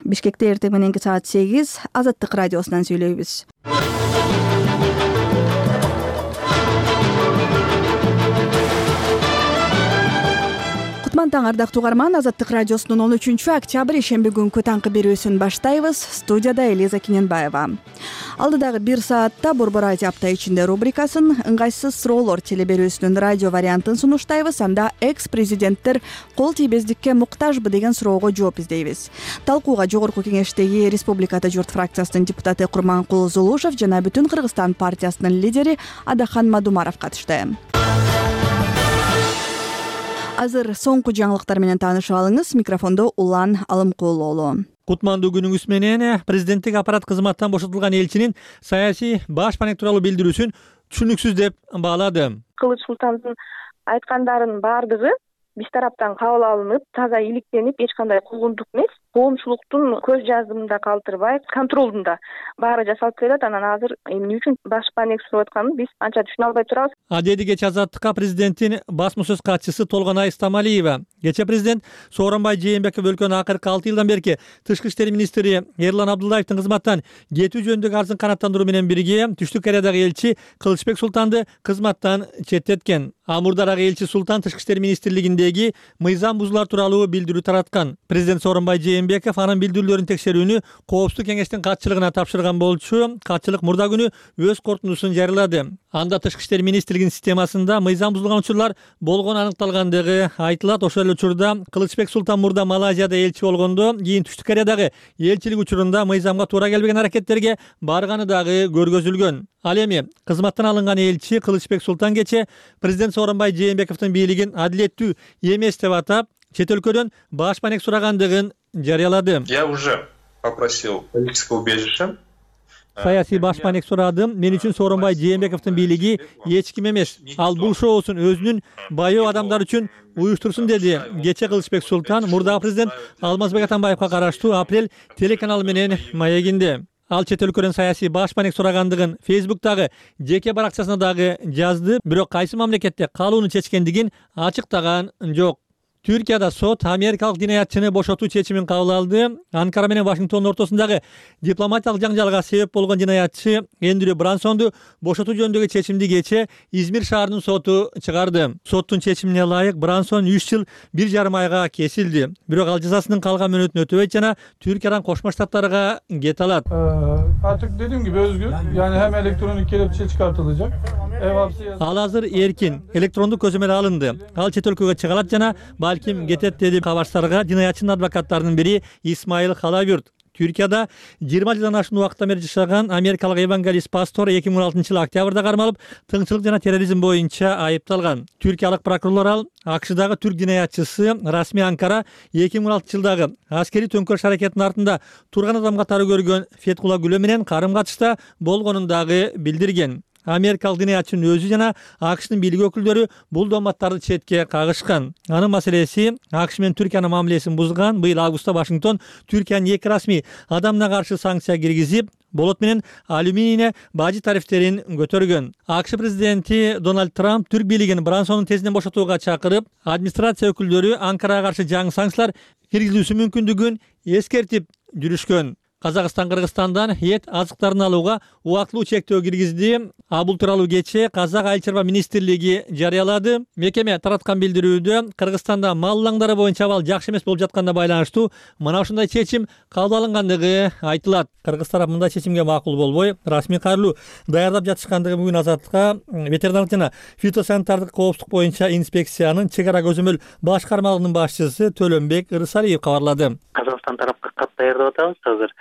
Бишкекте эртең мененки саат 8 Азаттык радиосунан сүйлөйбүз. Кутман таң ардактуу угарман, Азаттык радиосунун 13-октябрь ишемби күнкү таңкы берүүсүн баштайбыз. Студияда Элиза Киненбаева. Алдыдагы 1 саатта Борбор Азия апта ичинде рубрикасын, ыңгайсыз суроолор телеберүүсүнүн радио вариантын сунуштайбыз. Анда экс-президенттер кол тийбездикке муктажбы деген суроого жооп издейбиз. Талкууга Жогорку Кеңештеги Республикада журт фракциясынын депутаты Курманкул Зулушев жана Бүтүн Кыргызстан партиясынын лидери Адахан Мадумаров катышты. Азыр соңку жаңылыктар менен таанышып алыңыз. Микрофондо Улан Алымкулуулу. Кутмандуу күнүңүз менен. Президенттик аппарат кызматтан бошотулган элчинин саясий баш панек тууралуу билдирүүсүн түшүнүксүз деп баалады. Кылыч Султандын айткандарынын баардыгы биз тараптан кабыл алынып, таза иликтенип, эч кандай куугунтук эмес, коомчулуктун көз жазымында калтырбай, контролунда баары жасалып келет. Анан азыр эмне үчүн баш панек сурап атканын биз анча түшүнө албай турабыз. Деди кечээ Азаттыкка президенттин басма сөз катчысы Толгонай Стамалиева. Кечээ президент Сооронбай Жээнбеков өлкөнүн акыркы 6 жылдан берки тышкы иштер министри Эрлан Абдуллаевдин кызматтан кетүү жөнүндөгү арызын канааттандыруу менен бирге Түштүк Кореядагы элчи Кылычбек Султанды кызматтан четтеткен. Мурдарагы элчи Султан тышкы иштер министрлигиндеги мыйзам бузуулар тууралуу билдирүү тараткан. Президент Сооронбай Жээнбеков анын билдирүүлөрүн текшерүүнү Коопсуздук кеңештин катчылыгына тапшырган болчу. Катчылык мурда күнү өз корутундусун жарыялады. Анда тышкы иштер министрлигинин системасында мыйзам бузулган учурлар болгону аныкталгандыгы айтылат. Ошол эле учурда Кылычбек Султан мурда Малайзияда элчи болгондо, кийин Түштүк Кореядагы элчилик учурунда мыйзамга туура келбеген аракеттерге барганы дагы көргөзүлгөн. Ал эми кызматтан алынган элчи Кылычбек Султан кечээ президент Сооронбай Жээнбековдун бийлигин адилеттүү эмес деп атап, чет өлкөдөн баш панек сурагандыгын жарыялады. Я уже попросил политическое убежище. Саясий баш панек сурадым. Мен үчүн Сооронбай Жээнбековдун бийлиги эч ким эмес. Ал бул шоусун өзүнүн байоо адамдар үчүн уюштурсун деди. Кечээ Кылычбек Султан мурдагы президент Алмазбек Атамбаевга караштуу Апрель телеканалы менен маегинде. Ал чет өлкөдөн саясий баш панек сурагандыгын Фейсбуктагы жеке баракчасына дагы жазды, бирок кайсы мамлекетте калууну чечкендигин ачыктаган жок. Түркияда сот америкалык динаятчыны бошотуу чечимин кабыл алды. Анкара менен Вашингтондун ортосундагы дипломатиялык жаңжалга себеп болгон динаятчы Эндрю Брансонду бошотуу жөнүндөгү чечимди кечээ Измир шаарынын соту чыгарды. Соттун чечимине ылайык Брансон 3 жыл 1,5 айга кесилди. Бирок ал жазасынын калган мөөнөтүн өтөбөйт жана Түркиядан Кошмо Штаттарга кете алат. Artık dediğim gibi özgür. Yani hem elektronik kelepçe çıkartılacak. Ал азыр эркин, электрондук көзөмөл алынды. Ал чет өлкөгө чыга алат жана балким кетет деди кабарчтарга динаятчынын адвокаттарынын бири Исмаил Халабюрт. Түркияда 20 жылдан ашуун убакыттан бери жашаган америкалык евангелист пастор 2016-жылы октябрда кармалып, тыңчылык жана терроризм боюнча айыпталган. Түркиялык прокурорлор ал АКШдагы түрк динаятчысы Расми Анкара 2016-жылдагы аскерий төңкөрүш аракетинин артында турган адам катары көргөн Феткула Гүлө менен карым-катышта болгонун дагы билдирген. Америкалык динаятчынын өзү жана АКШнын бийлик өкүлдөрү бул дооматтарды четке кагышкан. Анын маселеси АКШ менен Түркиянын мамилесин бузган. Быйыл августта Вашингтон Түркиянын 2 расмий адамына каршы санкция киргизип, болот менен алюминийне бажы тарифтерин көтөргөн. АКШ президенти Дональд Трамп түрк бийлигин Брансонун тезинен бошотууга чакырып, администрация өкүлдөрү Анкарага каршы жаңы санкциялар киргизилүүсү мүмкүндүгүн эскертип жүрүшкөн. Казакстан Кыргызстандан эт азыктарын алууга убактылуу чектөө киргизди. Бул тууралуу кечээ Казак айыл чарба министрлиги жарыялады. Мекеме тараткан билдирүүдө Кыргызстанда мал улаңдары боюнча абал жакшы эмес болуп жатканына байланыштуу мына ушундай чечим кабыл алынгандыгы айтылат. Кыргыз тарап мындай чечимге макул болбой, расмий кайрылуу даярдап жатышкандыгы бүгүн Азаттыкка ветеринардык жана фитосанитардык коопсуздук боюнча инспекциянын чек ара көзөмөл башкармалыгынын башчысы Төлөнбек Ырысалиев кабарлады. Казакстан тарапка кат даярдап атабыз азыр.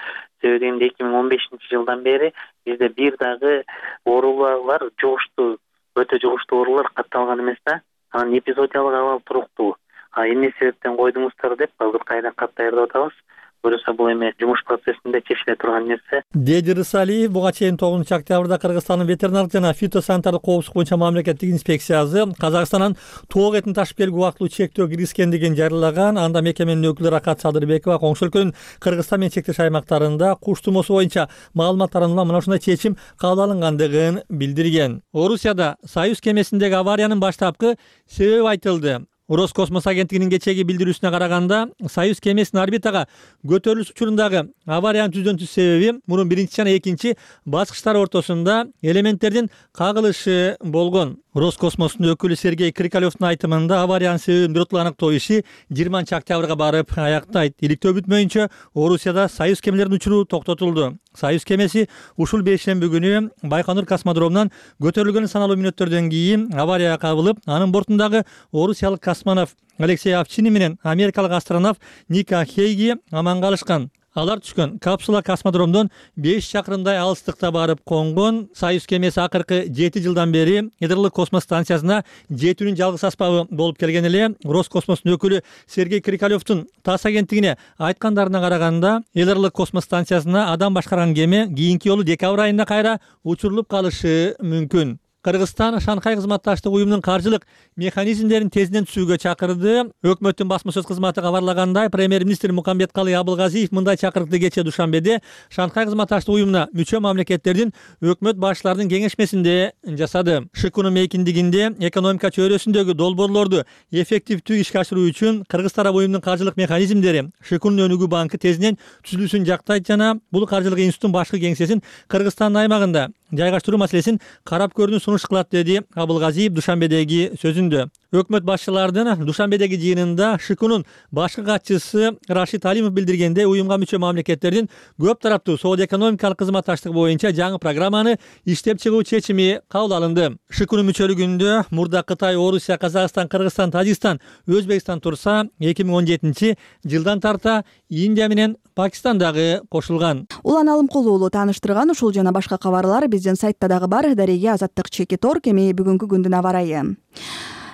Себеби 2015-жылдан бери бизде бир дагы оорулар жугуштуу, өтө жугуштуу оорулар катталган эмес да. Анан эпизодиялык абал туруктуу. Эмне себептен койдуңуздар деп азыр кайра кат даярдап атабыз. Көрөсө бул эми жумуш процессинде чечиле турган нерсе. Деди Рысалиев буга чейин 9-октябрда Кыргызстандын ветеринардык жана фитосанитардык коопсуздук боюнча мамлекеттик инспекциясы Казакстандан тоок этин ташып келүүгө убактылуу чектөө киргизгендигин жарыялаган. Анда мекеменин өкүлү Ракат Садырбекова коңшу өлкөнүн Кыргызстан менен чектеш аймактарында куш тумоосу боюнча маалымат таратууга мына ушундай чечим кабыл алынгандыгын билдирген. Орусияда Союз кемесиндеги авариянын баштапкы себеби айтылды. Роскосмос агенттигинин кечээги билдирүүсүнө караганда, Союз кемесинин орбитага көтөрүлүш учурундагы авариянын түздөн түз себеби мурун 1 жана 2 баскычтар ортосунда элементтердин кагылышы болгон. Роскосмостун өкүлү Сергей Крикалевдун айтымында авариянын себебин биротолуу аныктоо иши 20 октябрга барып аяктайт. Иликтөө бүтмөйүнчө Орусияда Союз кемелеринин учуру токтотулду. Союз кемеси ушул бейшемби күнү Байконур космодромунан көтөрүлгөн саналуу мүнөттөрдөн кийин аварияга кабылып, анын бортундагы орусиялык космонавт Алексей Овчинин менен америкалык астронавт Ника Хейги аман калышкан. Алар түшкөн капсула космодромдон 5 чакырымдай алыстыкта барып конгон. Союз кемеси акыркы 7 жылдан бери Ядролук космос станциясына жетүүнүн жалгыз аспабы болуп келген эле. Роскосмостун өкүлү Сергей Крикалевдун ТАСС агенттигине айткандарына караганда, Ядролук космос станциясына адам башкарган кеме кийинки жолу декабрь айында кайра учурулуп калышы мүмкүн. Кыргызстан Шанхай кызматташтык уюмунун каржылык механизмдерин тезинен түзүүгө чакырды. Өкмөттүн басма сөз кызматы кабарлагандай, премьер-министр Мукамбеткалый Абылгазиев мындай чакырыкты кечээ душанбеде Шанхай кызматташтык уюмуна мүчө мамлекеттердин өкмөт башчыларынын кеңешмесинде жасады. ШИКунун мейкиндигинде экономика чөйрөсүндөгү долбоорлорду эффективдүү ишке ашыруу үчүн Кыргыз тарап уюмунун каржылык механизмдери ШИКунун өнүгүү банкы тезинен түзүлүшүн жактайт жана бул каржылык институттун башкы кеңсесин Кыргызстандын аймагында жайгаштыруу маселесин карап көрүүнү сунуш кылат, деди Абылгазиев душанбедеги сөзүндө. Өкмөт башчыларынын душанбедеги жыйынында ШИКунун башкы катчысы Рашид Алимов билдиргендей, уюмга мүчө мамлекеттердин көп тараптуу соода-экономикалык кызматташтык боюнча жаңы программаны иштеп чыгуу чечими кабыл алынды. ШИКунун мүчөлүгүндө мурда Кытай, Орусия, Казакстан, Кыргызстан, Тажикстан, Өзбекстан турса, 2017 жылдан тарта Индия менен Пакистан дагы кошулган. Улан Алымкулуу тааныштырган ушул жана башка кабарлар биздин сайтта дагы бар. Дареге Азаттык Чеки Тор кеми бүгүнкү күндүн аба ырайы.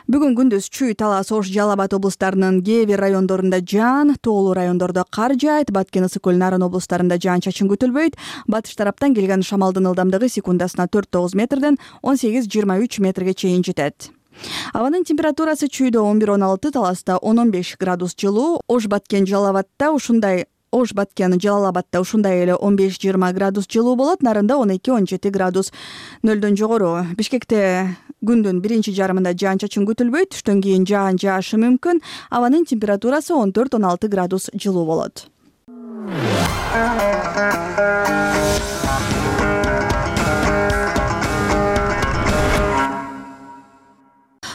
Бүгүн күндүз Чүй, Талас, Ош, Жалал Абад облустарынын кээ бир райондорунда жаан, тоолуу райондордо кар жаайт. Баткен, Ысык көл, Нарын облустарында жаан-чачын күтүлбөйт. Батыш тараптан келген шамалдын ылдамдыгы секундасына 4-9 метрден 18-23 метрге чейин жетет. Абанын температурасы Чүйдө 11-16, Таласта 10-15 градус жылуу, Ош, Баткен, Жалал Абадта ушундай эле 15-20 градус жылуу болот. Нарында 12-17 градус нөлдөн жогору. Бишкекте күндүн биринчи жарымында жаан-чачын күтүлбөйт. Түштөн кийин жаан жаашы мүмкүн. Абанын температурасы 14-16 градус жылуу болот.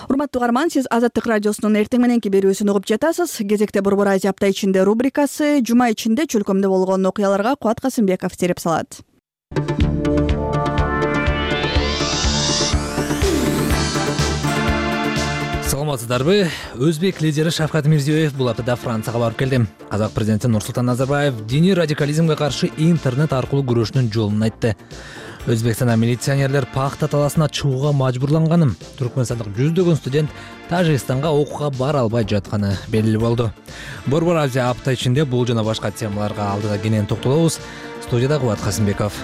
Урматтуу угарман, сиз Азаттык радиосунун эртең мененки берүүсүн угуп жатасыз. Кезекте Борбор Азия апта ичинде рубрикасы. Жума ичинде чөлкөмдө болгон окуяларга Кубат Касымбеков терип салат. Саламатсыздарбы? Өзбек лидери Шавкат Мирзиёев бул аптада Францияга барып келди. Казак президенти Нурсултан Назарбаев диний радикализмге каршы интернет аркылуу күрөшүүнүн жолун айтты. Өзбекстанда милиционерлер пахта таласына чыгууга мажбурланганын, түркмөнстандык жүздөгөн студент Тажикстанга окууга бара албай жатканы белгилүү болду. Борбор Азия апта ичинде бул жана башка темаларга алдыда кенен токтолобуз. Студияда Кубат Касымбеков.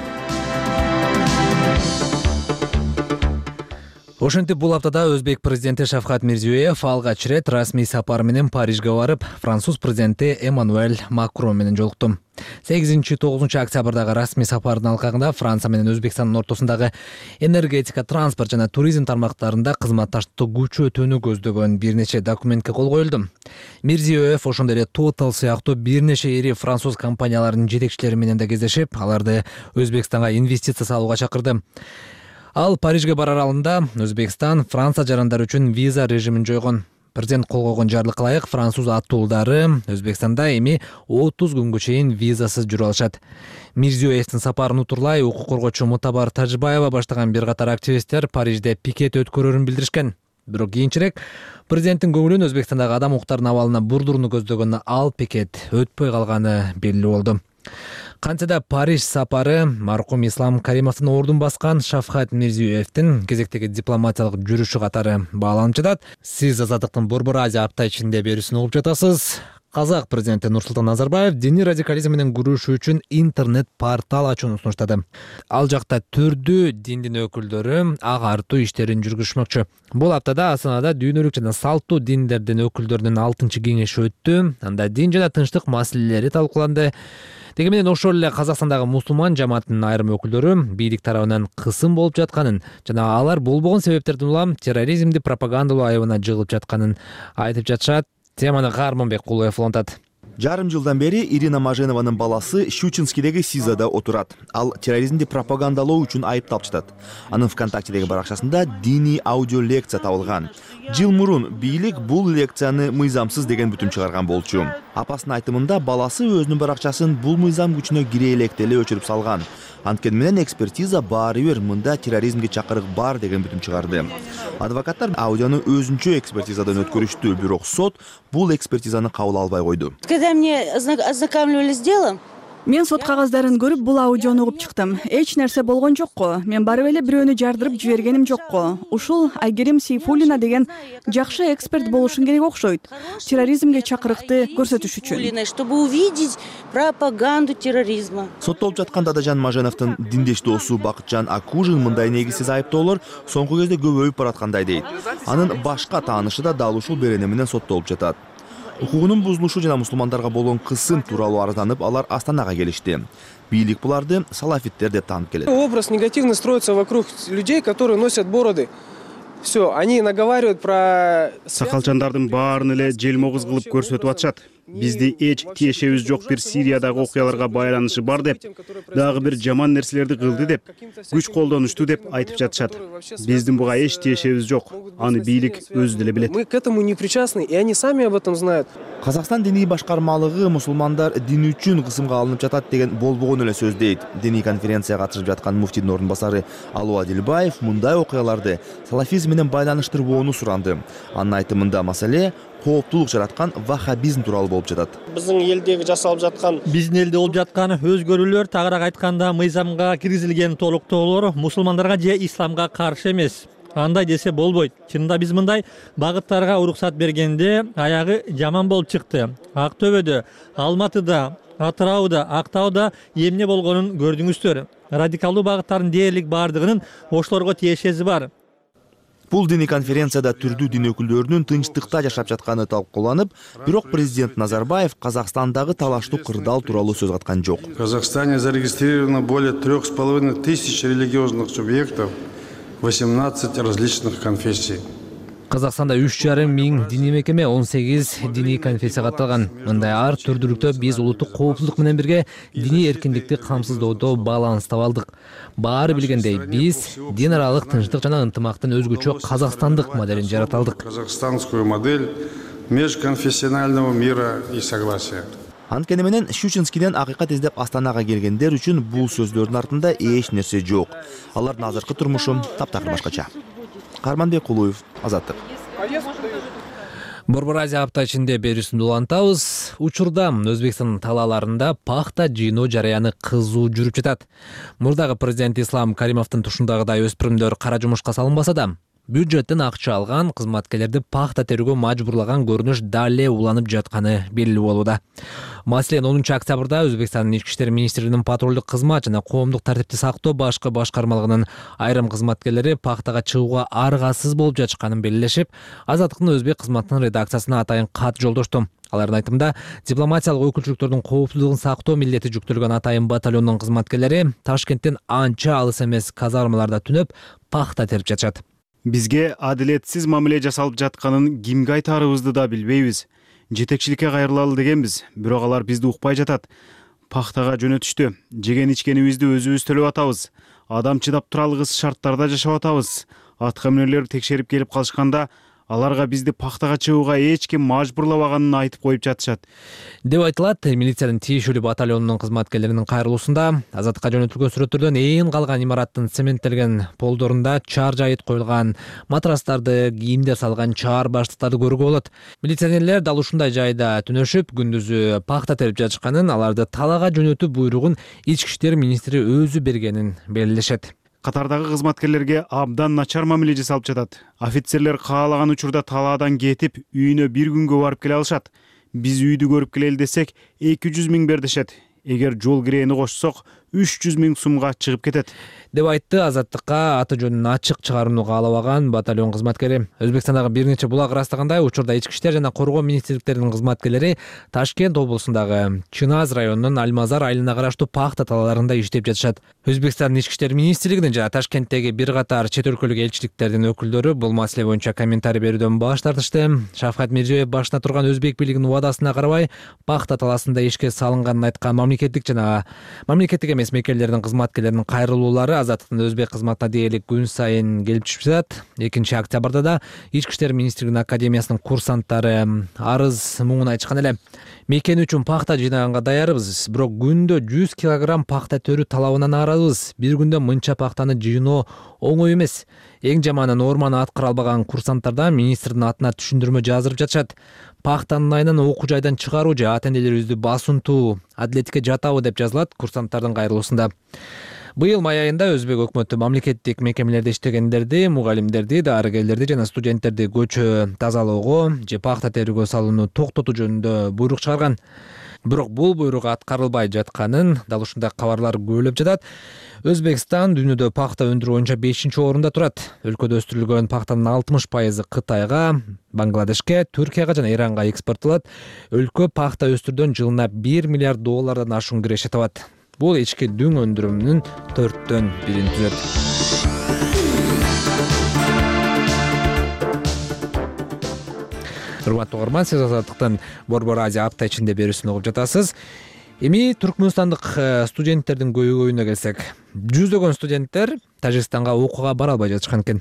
Ошентип бул аптада Өзбек президенти Шавкат Мирзиёев алгач ирет расмий сапар менен Парижге барып, француз президенти Эммануэль Макрон менен жолукту. 8-9 октябрдагы расмий сапардын алкагында Франция менен Өзбекстандын ортосундагы энергетика, транспорт жана туризм тармактарында кызматташтыкты күчөтүүнү көздөгөн бир нече документке кол коюлду. Мирзиёев ошондой эле Total сыяктуу бир нече ири француз компанияларынын жетекчилери менен да кездешип, аларды Өзбекстанга инвестиция салууга чакырды. Ал Парижге барар алдында Өзбекстан Франция жарандары үчүн виза режимин жойгон. Президент кол койгон жарлыкка ылайык француз аттуулдары Өзбекстанда эми 30 күнгө чейин визасыз жүрө алышат. Мирзиёевдин сапарын утурлай укук коргоочу Мутабар Тажибаева баштаган бир катар активисттер Парижде пикет өткөрөрүн билдиришкен. Бирок кийинчерээк президенттин көңүлүн Өзбекстандагы адам укуктарынын абалына бурдууруну көздөгөн ал пикет өтпөй калганы белгилүү болду. Кантсе да Париж сапары маркум Ислам Каримовдун ордун баскан Шавкат Мирзиёевдин кезектеги дипломатиялык жүрүшү катары бааланып жатат. Сиз Азаттыктын Борбор Азия апта ичинде берүүсүн угуп жатасыз. Казак президенти Нурсултан Назарбаев диний радикализм менен күрөшүү үчүн интернет портал ачууну сунуштады. Ал жакта түрдүү диндин өкүлдөрү агартуу иштерин жүргүзмөкчү. Бул аптада Астанада дүйнөлүк жана салттуу диндердин өкүлдөрүнүн 6-кеңеши өттү. Анда дин жана тынчтык маселелери талкууланды. Деги менен ошол эле Казакстандагы мусулман жамаатынын айрым өкүлдөрү бийлик тарабынан кысым болуп жатканын жана алар болбогон себептерден улам терроризмди пропагандалоо айыбына жыгылып жатканын айтып жатышат. Теманы Карманбек Кулуев улантат. Жарым жылдан бери Ирина Маженованын баласы Щучинскидеги СИЗОдо отурат. Ал терроризмди пропагандалоо үчүн айыпталып жатат. Анын ВКонтактедеги баракчасында диний аудио лекция табылган. Жыл мурун бийлик бул лекцияны мыйзамсыз деген бүтүм чыгарган болчу. Апасынын айтымында баласы өзүнүн баракчасын бул мыйзам күчүнө кире электеле өчүрүп салган. Анткени менен экспертиза баары бир мында терроризмге чакырык бар деген бүтүм чыгарды. Адвокаттар аудиону өзүнчө экспертизадан өткөрүштү, бирок сот бул экспертизаны кабыл албай койду. Когда мне ознакомливали с делом, Мен сот кагаздарын көрүп бул аудиону угуп чыктым. Эч нерсе болгон жокко. Мен барып эле бирөөнү жардырып жибергеним жокко. Ушул Айгерим Сейфуллина деген жакшы эксперт болушун керек окшойт. Терроризмге чакырыкты көрсөтүш үчүн. Чтобы увидеть пропаганду терроризма. Соттолуп жаткан Дадажан Маженовдун диндеш досу Бакытжан Акужин мындай негизсиз айыптоолор соңку кезде көбөйүп бараткандай дейт. Анын башка таанышы да дал ушул берене менен соттолуп жатат. Укугунун бузулушу жана мусулмандарга болгон кысым тууралуу арызданып, алар Астанага келишти. Бийлик буларды салафиттер деп таанып келет. Образ негативно строится вокруг людей, которые носят бороды. Все, они наговаривают про... Сакалчандардын баарын эле желмогуз кылып көрсөтүп атышат. Бизди эч тиешебиз жок бир Сириядагы окуяларга байланышы бар деп, дагы бир жаман нерселерди кылды деп, күч колдонушту деп айтып жатышат. Биздин буга эч тиешебиз жок. Аны бийлик өзү деле билет. Мы к этому не причастны, и они сами об этом знают. Казакстан диний башкармалыгы мусулмандар дин үчүн кысымга алынып жатат деген болбогон эле сөз дейт. Диний конференцияга катышып жаткан муфтийдин ордун басары Алуу Адилбаев мындай окуяларды салафизм менен байланыштырбоону суранды. Анын айтымында маселе кооптулук жараткан ваххабизм тууралуу болуп жатат. Биздин элдеги жасалып жаткан болуп жаткан өзгөрүүлөр, тагыраак айтканда мыйзамга киргизилген толуктоолор мусулмандарга же исламга каршы эмес. Андай десе болбойт. Чынында биз мындай багыттарга уруксат бергенде аягы жаман болуп чыкты. Актөбөдө, Алматыда, Атырауда, Актауда эмне болгонун көрдүңүздөр. Радикалдуу багыттардын дээрлик бардыгынын ошолорго тиешеси бар. Бул диний конференцияда түрдүү дин өкүлдөрүнүн тынчтыкта жашап жатканы талкууланып, бирок президент Назарбаев Казакстандагы талаштуу кырдаал тууралуу сөз каткан жок. В Казахстане зарегистрировано более 3500 религиозных субъектов, 18 различных конфессий. Казакстанда 3,5 миң диний мекеме, 18 диний конфессия катталган. Мындай ар түрдүүлүктө биз улуттук коопсуздук менен бирге диний эркиндикти камсыздоодо баланс таба алдык. Баары билгендей, биз дин аралык тынчтык жана ынтымактын өзгөчө казакстандык моделин жарата алдык. Казахстанскую модель межконфессионального мира и согласия. Анткени менен Щучинскиден акыйкат издеп Астанага келгендер үчүн бул сөздөрдүн артында эч нерсе жок. Алардын азыркы турмушу таптакыр башкача. Карманбек Кулуев, Азаттык. Борбор Азия апта ичинде берүүсүндү улантабыз. Учурда Өзбекстандын талааларында пахта жыйноо жараяны кызуу жүрүп жатат. Мурдагы президент Ислам Каримовдун тушундагыдай өспүрүмдөр кара жумушка салынбаса да, бюджеттен акча алган кызматкерлерди пахта терүүгө мажбурлаган көрүнүш дале уланып жатканы белгилүү болууда. Маселен 10 октябрда Өзбекстандын ички иштер министрлигинин патрулдук кызмат жана коомдук тартипти сактоо башкы башкармалыгынын айрым кызматкерлери пахтага чыгууга аргасыз болуп жатышканын белгилешип, Азаттыктын өзбек кызматынын редакциясына атайын кат жолдошту. Алардын айтымында, дипломатиялык өкүлчүлүктөрдүн коопсуздугун сактоо милдети жүктөлгөн атайын батальондун кызматкерлери Ташкенттен анча алыс эмес казармаларда түнөп пахта терип жатышат. Бизге адилетсиз мамиле жасалып жатканын кимге айтаарыбызды да билбейбиз. Жетекчиликке кайрылалы дегенбиз, бирок алар бизди укпай жатат. Пахтага жөнөтүштү. Жеген ичкенибизди өзүбүз төлөп атабыз. Адам чыдап тура алгыс шарттарда жашап атабыз. Атка мүнөрлөр текшерип келип калышканда, аларга бизди пахтага чыгууга эч ким мажбурлабаганын айтып коюп жатышат. Деп айтылат милициянын тиешелүү батальонунун кызматкерлеринин кайрылуусунда. Азаттыкка жөнөтүлгөн сүрөттөрдөн ээн калган имараттын цементтелген полдорунда чаар жайыт коюлган, матрастарды, кийимдер салган чаар баштыктарды көрүүгө болот. Милиционерлер дал ушундай жайда түнөшүп, күндүзү пахта терип жатышканын, аларды талаага жөнөтүү буйругун ички иштер министри өзү бергенин белгилешет. Катардагы кызматкерлерге абдан начар мамиле жасалып жатат. Офицерлер каалаган учурда талаадан кетип, үйүнө бир күнгө барып келе алышат. Биз үйдү көрүп келели десек 200 миң бер дешет. Эгер жол киреени кошсок 300 миң сумга чыгып кетет, деп айтты Азаттыкка аты жөнүн ачык чыгарууну каалабаган батальон кызматкери. Өзбекстандагы бир нече булак ырастагандай учурда ички иштер жана коргоо министрликтеринин кызматкерлери Ташкент облусундагы Чыназ районунун Альмазар айылына караштуу пахта талааларында иштеп жатышат. Өзбекстандын ички иштер министрлигинин жана Ташкенттеги бир катар чет өлкөлүк элчиликтердин өкүлдөрү бул маселе боюнча комментарий берүүдөн баш тартышты. Шавкат Мирзиёев башына турган өзбек бийлигинин убадасына карабай пахта талаасында ишке салынганын айткан мамлекеттик эмес мекемелердин кызматкерлеринин кайрылуулары Азаттыктын өзбек кызматына дээрлик күн сайын келип түшүп жатат. 2 октябрда да Ички иштер министрлигинин академиясынын курсанттары арыз муңун айтышкан эле. Мекен үчүн пахта жыйнаганга даярбыз, бирок күндө 100 килограмм пахта төрү талабынан аарабыз. Бир күндө мынча пахтаны жыйноо оңой эмес. Эң жаманы норманы аткара албаган курсанттардан министрдин атына түшүндүрмө жаздырып жатышат. Пахтанын айынан окуу жайдан чыгаруу же ата-энелерибизди басынтуу, адилетке жатабы деп жазылат курсанттардын кайрылуусунда. Быйыл май айында өзбек өкмөтү мамлекеттик мекемелерде иштегендерди, мугалимдерди, дарыгерлерди жана студенттерди көчө тазалоого же пахта терүүгө салууну токтотуу жөнүндө буйрук чыгарган. Бирок бул буйрук аткарылбай жатканын дал ушундай кабарлар көбөлөп жатат. Өзбекстан дүйнөдө пахта өндүрүү боюнча 5-орунда турат. Өлкөдө өстүрүлгөн пахтанын 60% Кытайга, Бангладешке, Түркияга жана Иранга экспорттолот. Өлкө пахта өстүрүүдөн жылына $1 миллиард ашуун киреше табат. Бул ички дүң өндүрүмүнүн 4төн 1-ин түзөт. Урматтуу угарман, сиз Азаттыктын Борбор Азия апта ичинде берүүсүн угуп жатасыз. Эми түркмөнстандык студенттердин көйгөйүнө келсек, жүздөгөн студенттер Тажикстанга окууга бара албай жатышкан экен.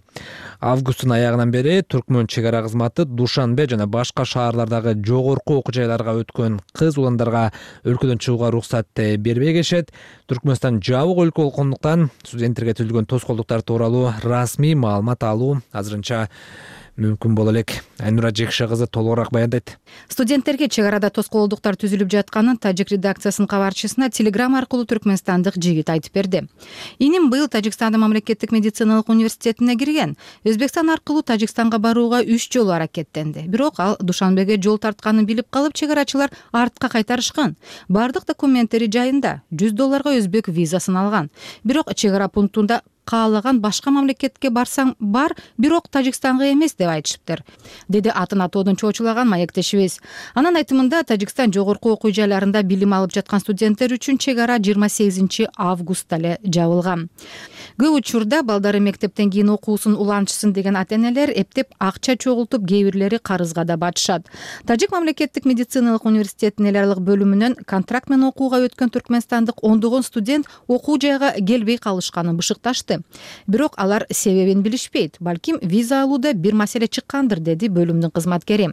Августтун аягынан бери Түркмөн чек ара кызматы Душанбе жана башка шаарлардагы жогорку окуу жайларга өткөн кыз уландарга өлкөдөн чыгууга уруксат бербей келишет. Түркмөнстан жабык өлкө болгондуктан студенттерге түзүлгөн тоскоолдуктар тууралуу расмий маалымат алуу азырынча мүмкүн боло элек. Айнура Жекше кызы толугураак баяндайт. Студенттерге чек арада тоскоолдуктар түзүлүп жатканын Тажик редакциясынын кабарчысына телеграмма аркылуу түркмөнстандык жигит айтып берди. Иним быйыл Тажикстандын мамлекеттик медициналык университетине кирген. Өзбекстан аркылуу Тажикстанга барууга 3 жолу аракеттенди. Бирок ал Душанбеге жол тартканын билип калып, чек арачылар артка кайтарышкан. Бардык документтери жайында, $100 өзбек визасын алган. Бирок чек ара пунктунда каалаган башка мамлекетке барсаң бар, бирок Тажикстанга эмес деп айтышыптыр, деди атын атоодон чоочулаган маектешибиз. Анын айтымында Тажикстан жогорку окуу жайларында билим алып жаткан студенттер үчүн чек ара 28 августта эле жабылган. Көп учурда балдары мектептен кийин окуусун улантышсын деген ата-энелер эптеп акча чогултуп, кээ бирлери карызга да батышат. Тажик мамлекеттик медициналык университетинин эл аралык бөлүмүнөн контракт менен окууга өткөн түркмөнстандык ондогон студент окуу жайга келбей калышканын бышыкташты. Бирок алар себебин билишпейт. Балким виза алууда бир маселе чыккандыр, деди бөлүмдүн кызматкери.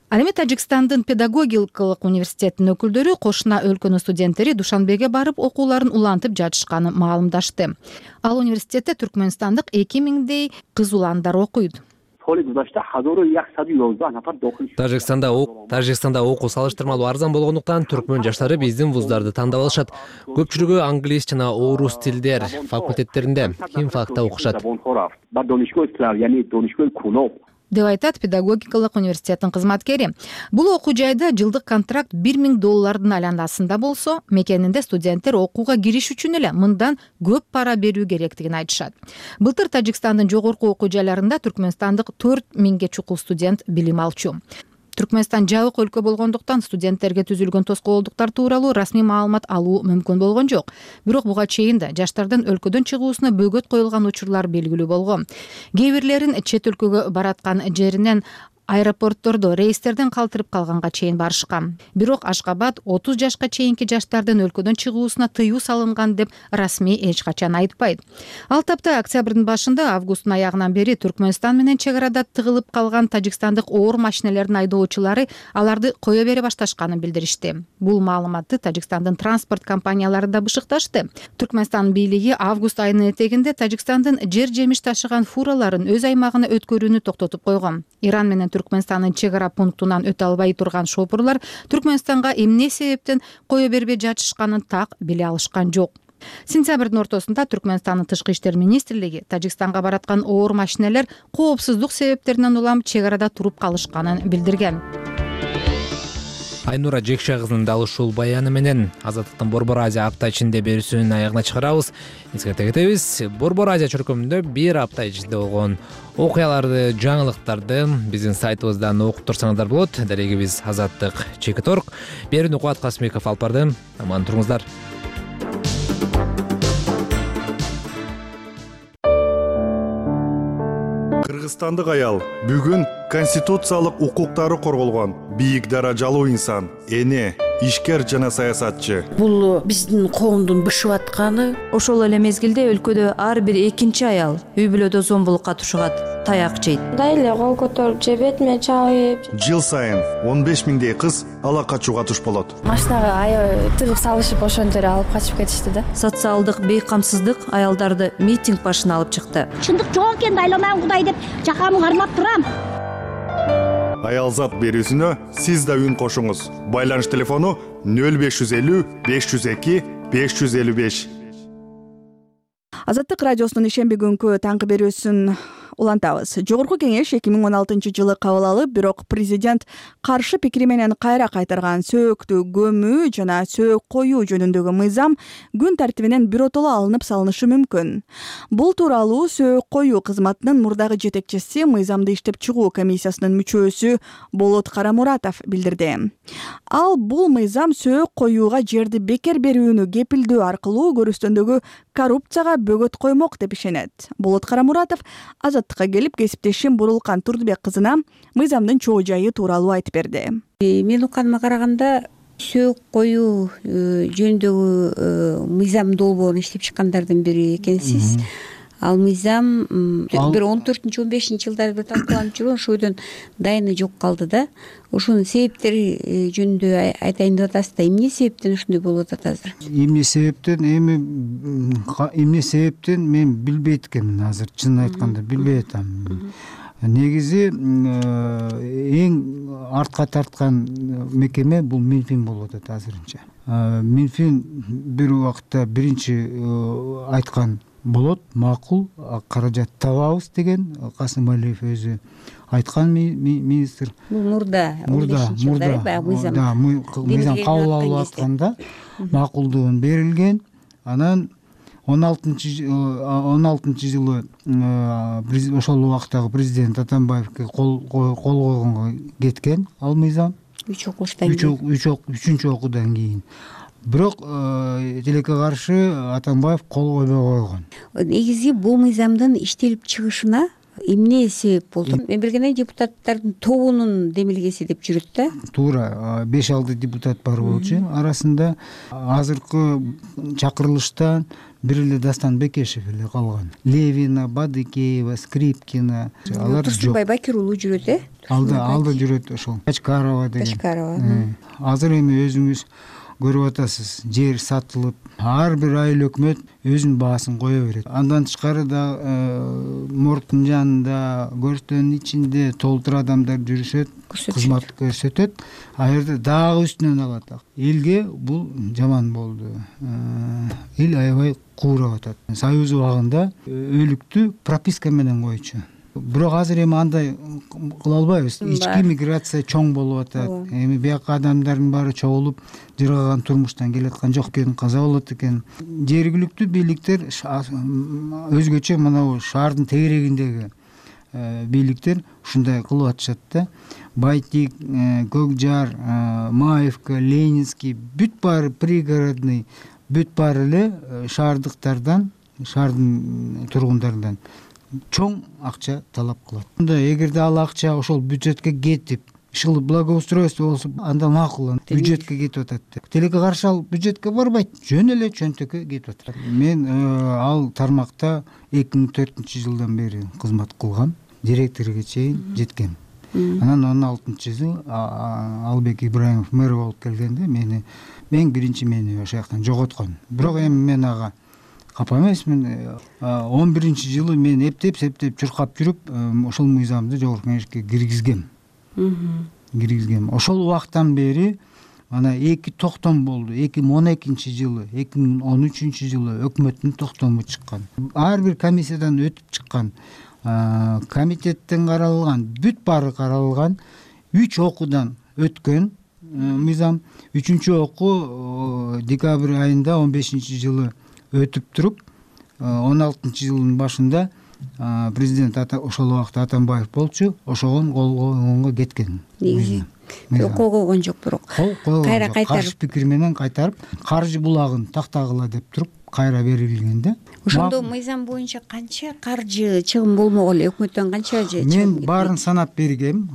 Ал эми Тажикстандын педагогикалык университетинин өкүлдөрү кошуна өлкөнүн студенттери Душанбеге барып окууларын улантып жатышканын маалымдашты. Ал университетте түркмөнстандык 2000дей кыз уландар окуйт. Тажикстанда окуу салыштырмалуу арзан болгондуктан түркмөн жаштары биздин вуздарды тандап алышат. Көпчүлүгү англис жана орус тилдер факультеттеринде, химфакта окушат, деп айтат педагогикалык университеттин кызматкери. Бул окуу жайда жылдык контракт $1000 айланасында болсо, мекенинде студенттер окууга кириш үчүн эле мындан көп пара берүү керектигин айтышат. Былтыр Тажикстандын жогорку окуу жайларында түркмөнстандык 4000ге чукул студент билим алчу. Түркмөнстан жабык өлкө болгондуктан студенттерге түзүлгөн тоскоолдуктар тууралуу расмий маалымат алуу мүмкүн болгон жок. Бирок буга чейин да жаштардын өлкөдөн чыгуусуна бөгөт коюлган учурлар белгилүү болгон. Кээ бирлерин чет өлкөгө бараткан жеринен аэропорттордо рейстерден калтырып калганга чейин барышкан. Бирок Ашкабад 30 жашка чейинки жаштардын өлкөдөн чыгуусуна тыюу салынган деп расмий эч качан айтпайт. Ал тапта октябрдын башында, августтун аягынан бери Түркмөнстан менен чек арада тыгылып калган тажикстандык оор машинелердин айдоочулары аларды кое бере башташканын билдиришти. Бул маалыматты Тажикстандын транспорт компаниялары да бышыкташты. Түркмөнстан бийлиги август айынын этегинде Тажикстандын жер жемиш ташыган фураларын өз аймагына өткөрүүнү токтотуп койгон. Иран менен Түркмөнстандын чек ара пунктунан өтө албай турган шопурлар Түркмөнстанга эмне себептен кое бербей жатышканын так биле алышкан жок. Сентябрдын ортосунда Түркмөнстандын тышкы иштер министрлиги Тажикстанга бараткан оор машинелер коопсуздук себептеринен улам чек арада туруп калышканын билдирген. Айнура Жекше кызынын дал ушул баяны менен Азаттыктын Борбор Азия апта ичинде берүүсүнүн аягына чыгарабыз. Эске кетебиз, Борбор Азия чөркөмүндө бир апта ичинде болгон окуяларды, жаңылыктарды биздин сайтыбыздан окуп турсаңыздар болот. Дарегибиз Азаттык Чекит Орг. Берүүнү Кубат Касымбеков алып барды. Аман туруңуздар. Кыргызстандык аял бүгүн конституциялык укуктары корголгон бийик даражалуу инсан, эне, ишкер жана саясатчы. Бул биздин коомдун бышып атканы. Ошол эле мезгилде өлкөдө ар бир экинчи аял үй бүлөдө зомбулукка тушугат, таяк жейт. Мындай эле кол көтөрүп же бетиме чабып. Жыл сайын 15 миңдей кыз ала качууга туш болот. Машинага аябай тыгып салышып ошончо эле алып качып кетишти да. Социалдык бейкамсыздык аялдарды митинг башына алып чыкты. Чындык жок экен, айланам Кудай деп жакамы кармап турам. Аялзат берүүсүнө сиз да үн кошуңуз. Байланыш телефону 0550 502 555. Азаттык радиосунун ишемби күнкү таңкы берүүсүн улантабыз. Жогорку кеңеш 2016 жылы кабыл алып, бирок президент каршы пикири менен кайра кайтарган сөөктү көмүү жана сөөк коюу жөнүндөгү мыйзам күн тартибинен биротоло алынып салынышы мүмкүн. Бул тууралуу сөөк коюу кызматынын мурдагы жетекчиси, мыйзамды иштеп чыгуу комиссиясынын мүчөсү Болот Карамуратов билдирди. Ал бул мыйзам сөөк коюуга жерди бекер берүүнү кепилдөө аркылуу көрүстөндөгү коррупцияга бөгөт коймок деп ишенет. Болот Карамуратов Азаттыкка келип, кесиптешим Бурулкан Турдубек кызына мыйзамдын чоо жайы тууралуу айтып берди. Мен укканыма караганда сөөк коюу жөнүндөгү мыйзам долбоорун иштеп чыккандардын бири экенсиз. Ал мыйзам бир 14-15 жылдары бир талкууланып жүргөн, ошойдон дайыны жок калды да. Ошонун себептери жөнүндө айтайын деп атасыз да, эмне себептен ушундай болуп атат азыр? Эмне себептен мен билбейт экенмин азыр, чынын айтканда билбей атам. Негизи эң артка тарткан мекеме бул Минфин болуп атат азырынча. Минфин бир убакта биринчи айткан болот, макул, каражат табабыз деген Касым Алиев өзү айткан министр. Бул мурда мыйзам кабыл алып атканда макулдугун берилген. Анан 16 жылы ошол убактагы президент Атамбаевге кол койгонго кеткен ал мыйзам. 3 окуудан кийин. Бирок тилекке каршы Атамбаев кол койбой койгон. Негизи бул мыйзамдын иштелип чыгышына эмне себеп болду? Мен билгендей депутаттардын тобунун демилгеси деп жүрөт да. Туура, 5-6 депутат бар болчу. Арасында азыркы чакырылыштан бир эле Дастан Бекешев эле калган. Левина, Бадыкеева, Скрипкина алар жок. Турсунбай Бакир уулу жүрөт, Алда жүрөт ошол. Качкарова деген. Азыр эми өзүңүз көрүп атасыз, жер сатылып, ар бир айыл өкмөт өзүнүн баасын кое берет. Андан тышкары да мордтун жанында, көрстөнүн ичинде толтура адамдар жүрүшөт, кызмат көрсөтөт. А жерде дагы үстүнөн алат. Элге бул жаман болду. Эл аябай куурап атат. Союз убагында өлүктү прописка менен койчу. Бирок азыр эми андай кыла албайбыз. Ички миграция чоң болуп атат. Эми бияка адамдардын баары чогулуп, жыргаган турмуштан келаткан жок экен, каза болот экен. Жергиликтүү бийликтер өзгөчө мына шаардын тегерегиндеги бийликтер ушундай кылып атышат да. Байтик, Көкжар, Маевка, Ленинский бүт баары пригородный, бүт баары эле шаардыктардан, шаардын тургундарынан чоң акча талап кылат. Эгерде ал акча ошол бюджетке кетип, ушул благоустройство болсо, анда макул, бюджетке кетип атат деп. Тилекке каршы ал бюджетке барбайт, жөн эле чөнтөккө кетип атат. Мен ал тармакта 2004 жылдан бери кызмат кылгам, директорго чейин жеткем. Анан 16-жылы Албек Ибраимов мэр болуп келгенде мен биринчи мени ошол жактан жоготкон. Бирок эми мен ага капа эмесмин. 11-жылы мен эптеп чуркап жүрүп, ошол мыйзамды жогорку кеңешке киргизгем. Ошол убактан бери ана 2 токтом болду. 2012-жылы, 2013-жылы өкмөттүн токтому чыккан. Ар бир комиссиядан өтүп чыккан, комитеттен каралган, бүт баары каралган, 3 окуудан өткөн мыйзам. 3 окуу декабрь айында 15-жылы өтүп туруп, 16-жылдын башында президент ошол убакта Атамбаев болчу, ошогон кол коюнга кеткен. Кол койгон жок, бирок кайра кайтарып, каршы пикир менен кайтарып, каржы булагын тактагыла деп туруп кайра берилген да. Ошондо мыйзам боюнча канча каржы чыгым болмок эле, өкмөттөн канча чыгым? Мен баарын санап бергем,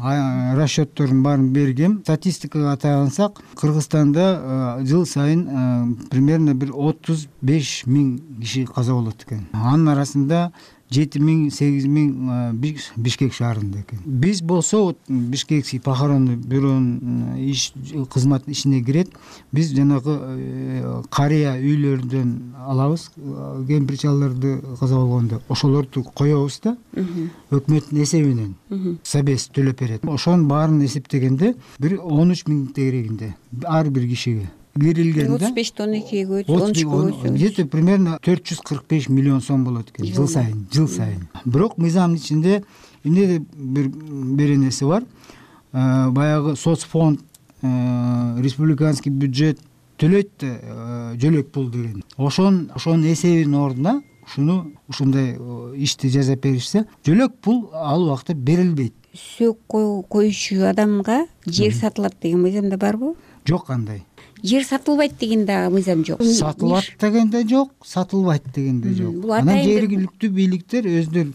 расчеттордун баарын бергем. Статистикага таянсак, Кыргызстанда жыл сайын примерно бир 35 000 киши каза болот экен. Анын арасында 7 000, 8 000 Бишкек шаарында экен. Биз болсо Бишкекский похоронный бюронун кызмат ишине кирет. Биз жанагы карыя үйлөрдөн алабыз, кемпир-чалдарды каза болгондо ошолорду коебуз да. Өкмөттүн эсебинен собес төлөп берет. Ошонун баарын эсептегенде бир 13 000 тегерегинде ар бир кишиге берилген да. 35-тон 2-ге 13-кө где-то примерно 445 миллион сом болот экен жыл сайын. Бирок мыйзамдын ичинде эмне бир нерсе бар. Баягы соцфонд, республиканский бюджет төлөйт да, жөлөк пул деген. Ошонун эсебинин ордуна ушундай ишти жазап беришсе, жөлөк пул ал убакта берилбейт. Сөөк коюучу адамга жер сатылат деген мыйзамда барбы? Жок, кандай. Жер сатылбайт деген да мыйзам жок. Сатылат деген да жок, сатылбайт деген да жок. Анан жергиликтүү бийликтер өздөрү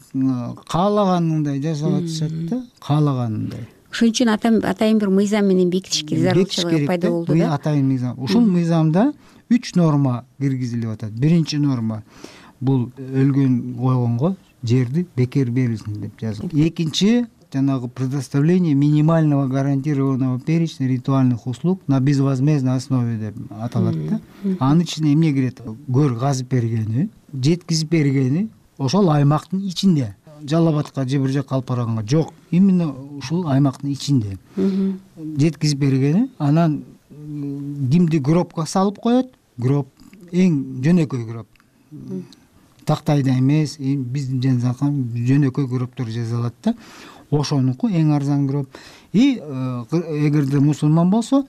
каалаганындай жасап атышат да, каалаганындай. Ошон үчүн атайын бир мыйзам менен бекитишке зарылчылыгы пайда болду да. Атайын мыйзам. Ушул мыйзамда 3 норма киргизилип атат. Биринчи норма бул өлгөн койгонго жерди бекер берилсин деп жазылган. Экинчи жанагы предоставление минимального гарантированного перечня ритуальных услуг на безвозмездной основе деп аталат да. Анын ичине эмне кирет? Көр казып бергени, жеткизип бергени ошол аймактын ичинде. Жалал Абадка же бир жакка алып барганга жок, именно ушул аймактын ичинде. Жеткизип бергени, анан кимди гробко салып коет? Гроб эң жөнөкөй гроб. Тактайда эмес, биздин жанакан жөнөкөй гробдор жасалат да. Ошонуку эң арзан гроб. Эгерде мусулман болсо,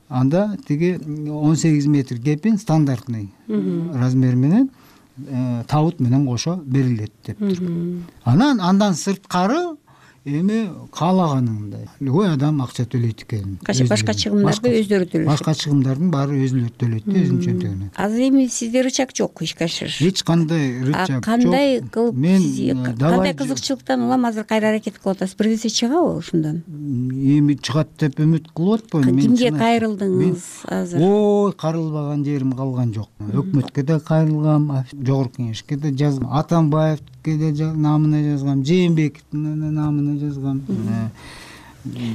анда тиги 18 метр кепин стандартный размер менен табут менен кошо берилет деп туруп. Андан сырткары эми каалаганындай. Любой адам акча төлөйт экен. Башка чыгымдарды өздөрү төлөйт. Башка чыгымдардын баары өзүлөрү төлөйт да, өзүнчө төлөйт. Азыр эми сизде рычаг жок, ишке ашырыш. Эч кандай рычаг жок. Кандай кылып кандай кызыкчылыктан улам азыр кайра аракет кылып атасыз? Бир нерсе чыгабы ушундан? Эми чыгат деп үмүт кылып атпаймын. Кимге кайрылдыңыз азыр? Ой, кайрылбаган жерим калган жок. Өкмөткө да кайрылгам, жогорку кеңешке да жазгам, Атамбаевке да намына жазгам, Жээнбековдун намына жазгам.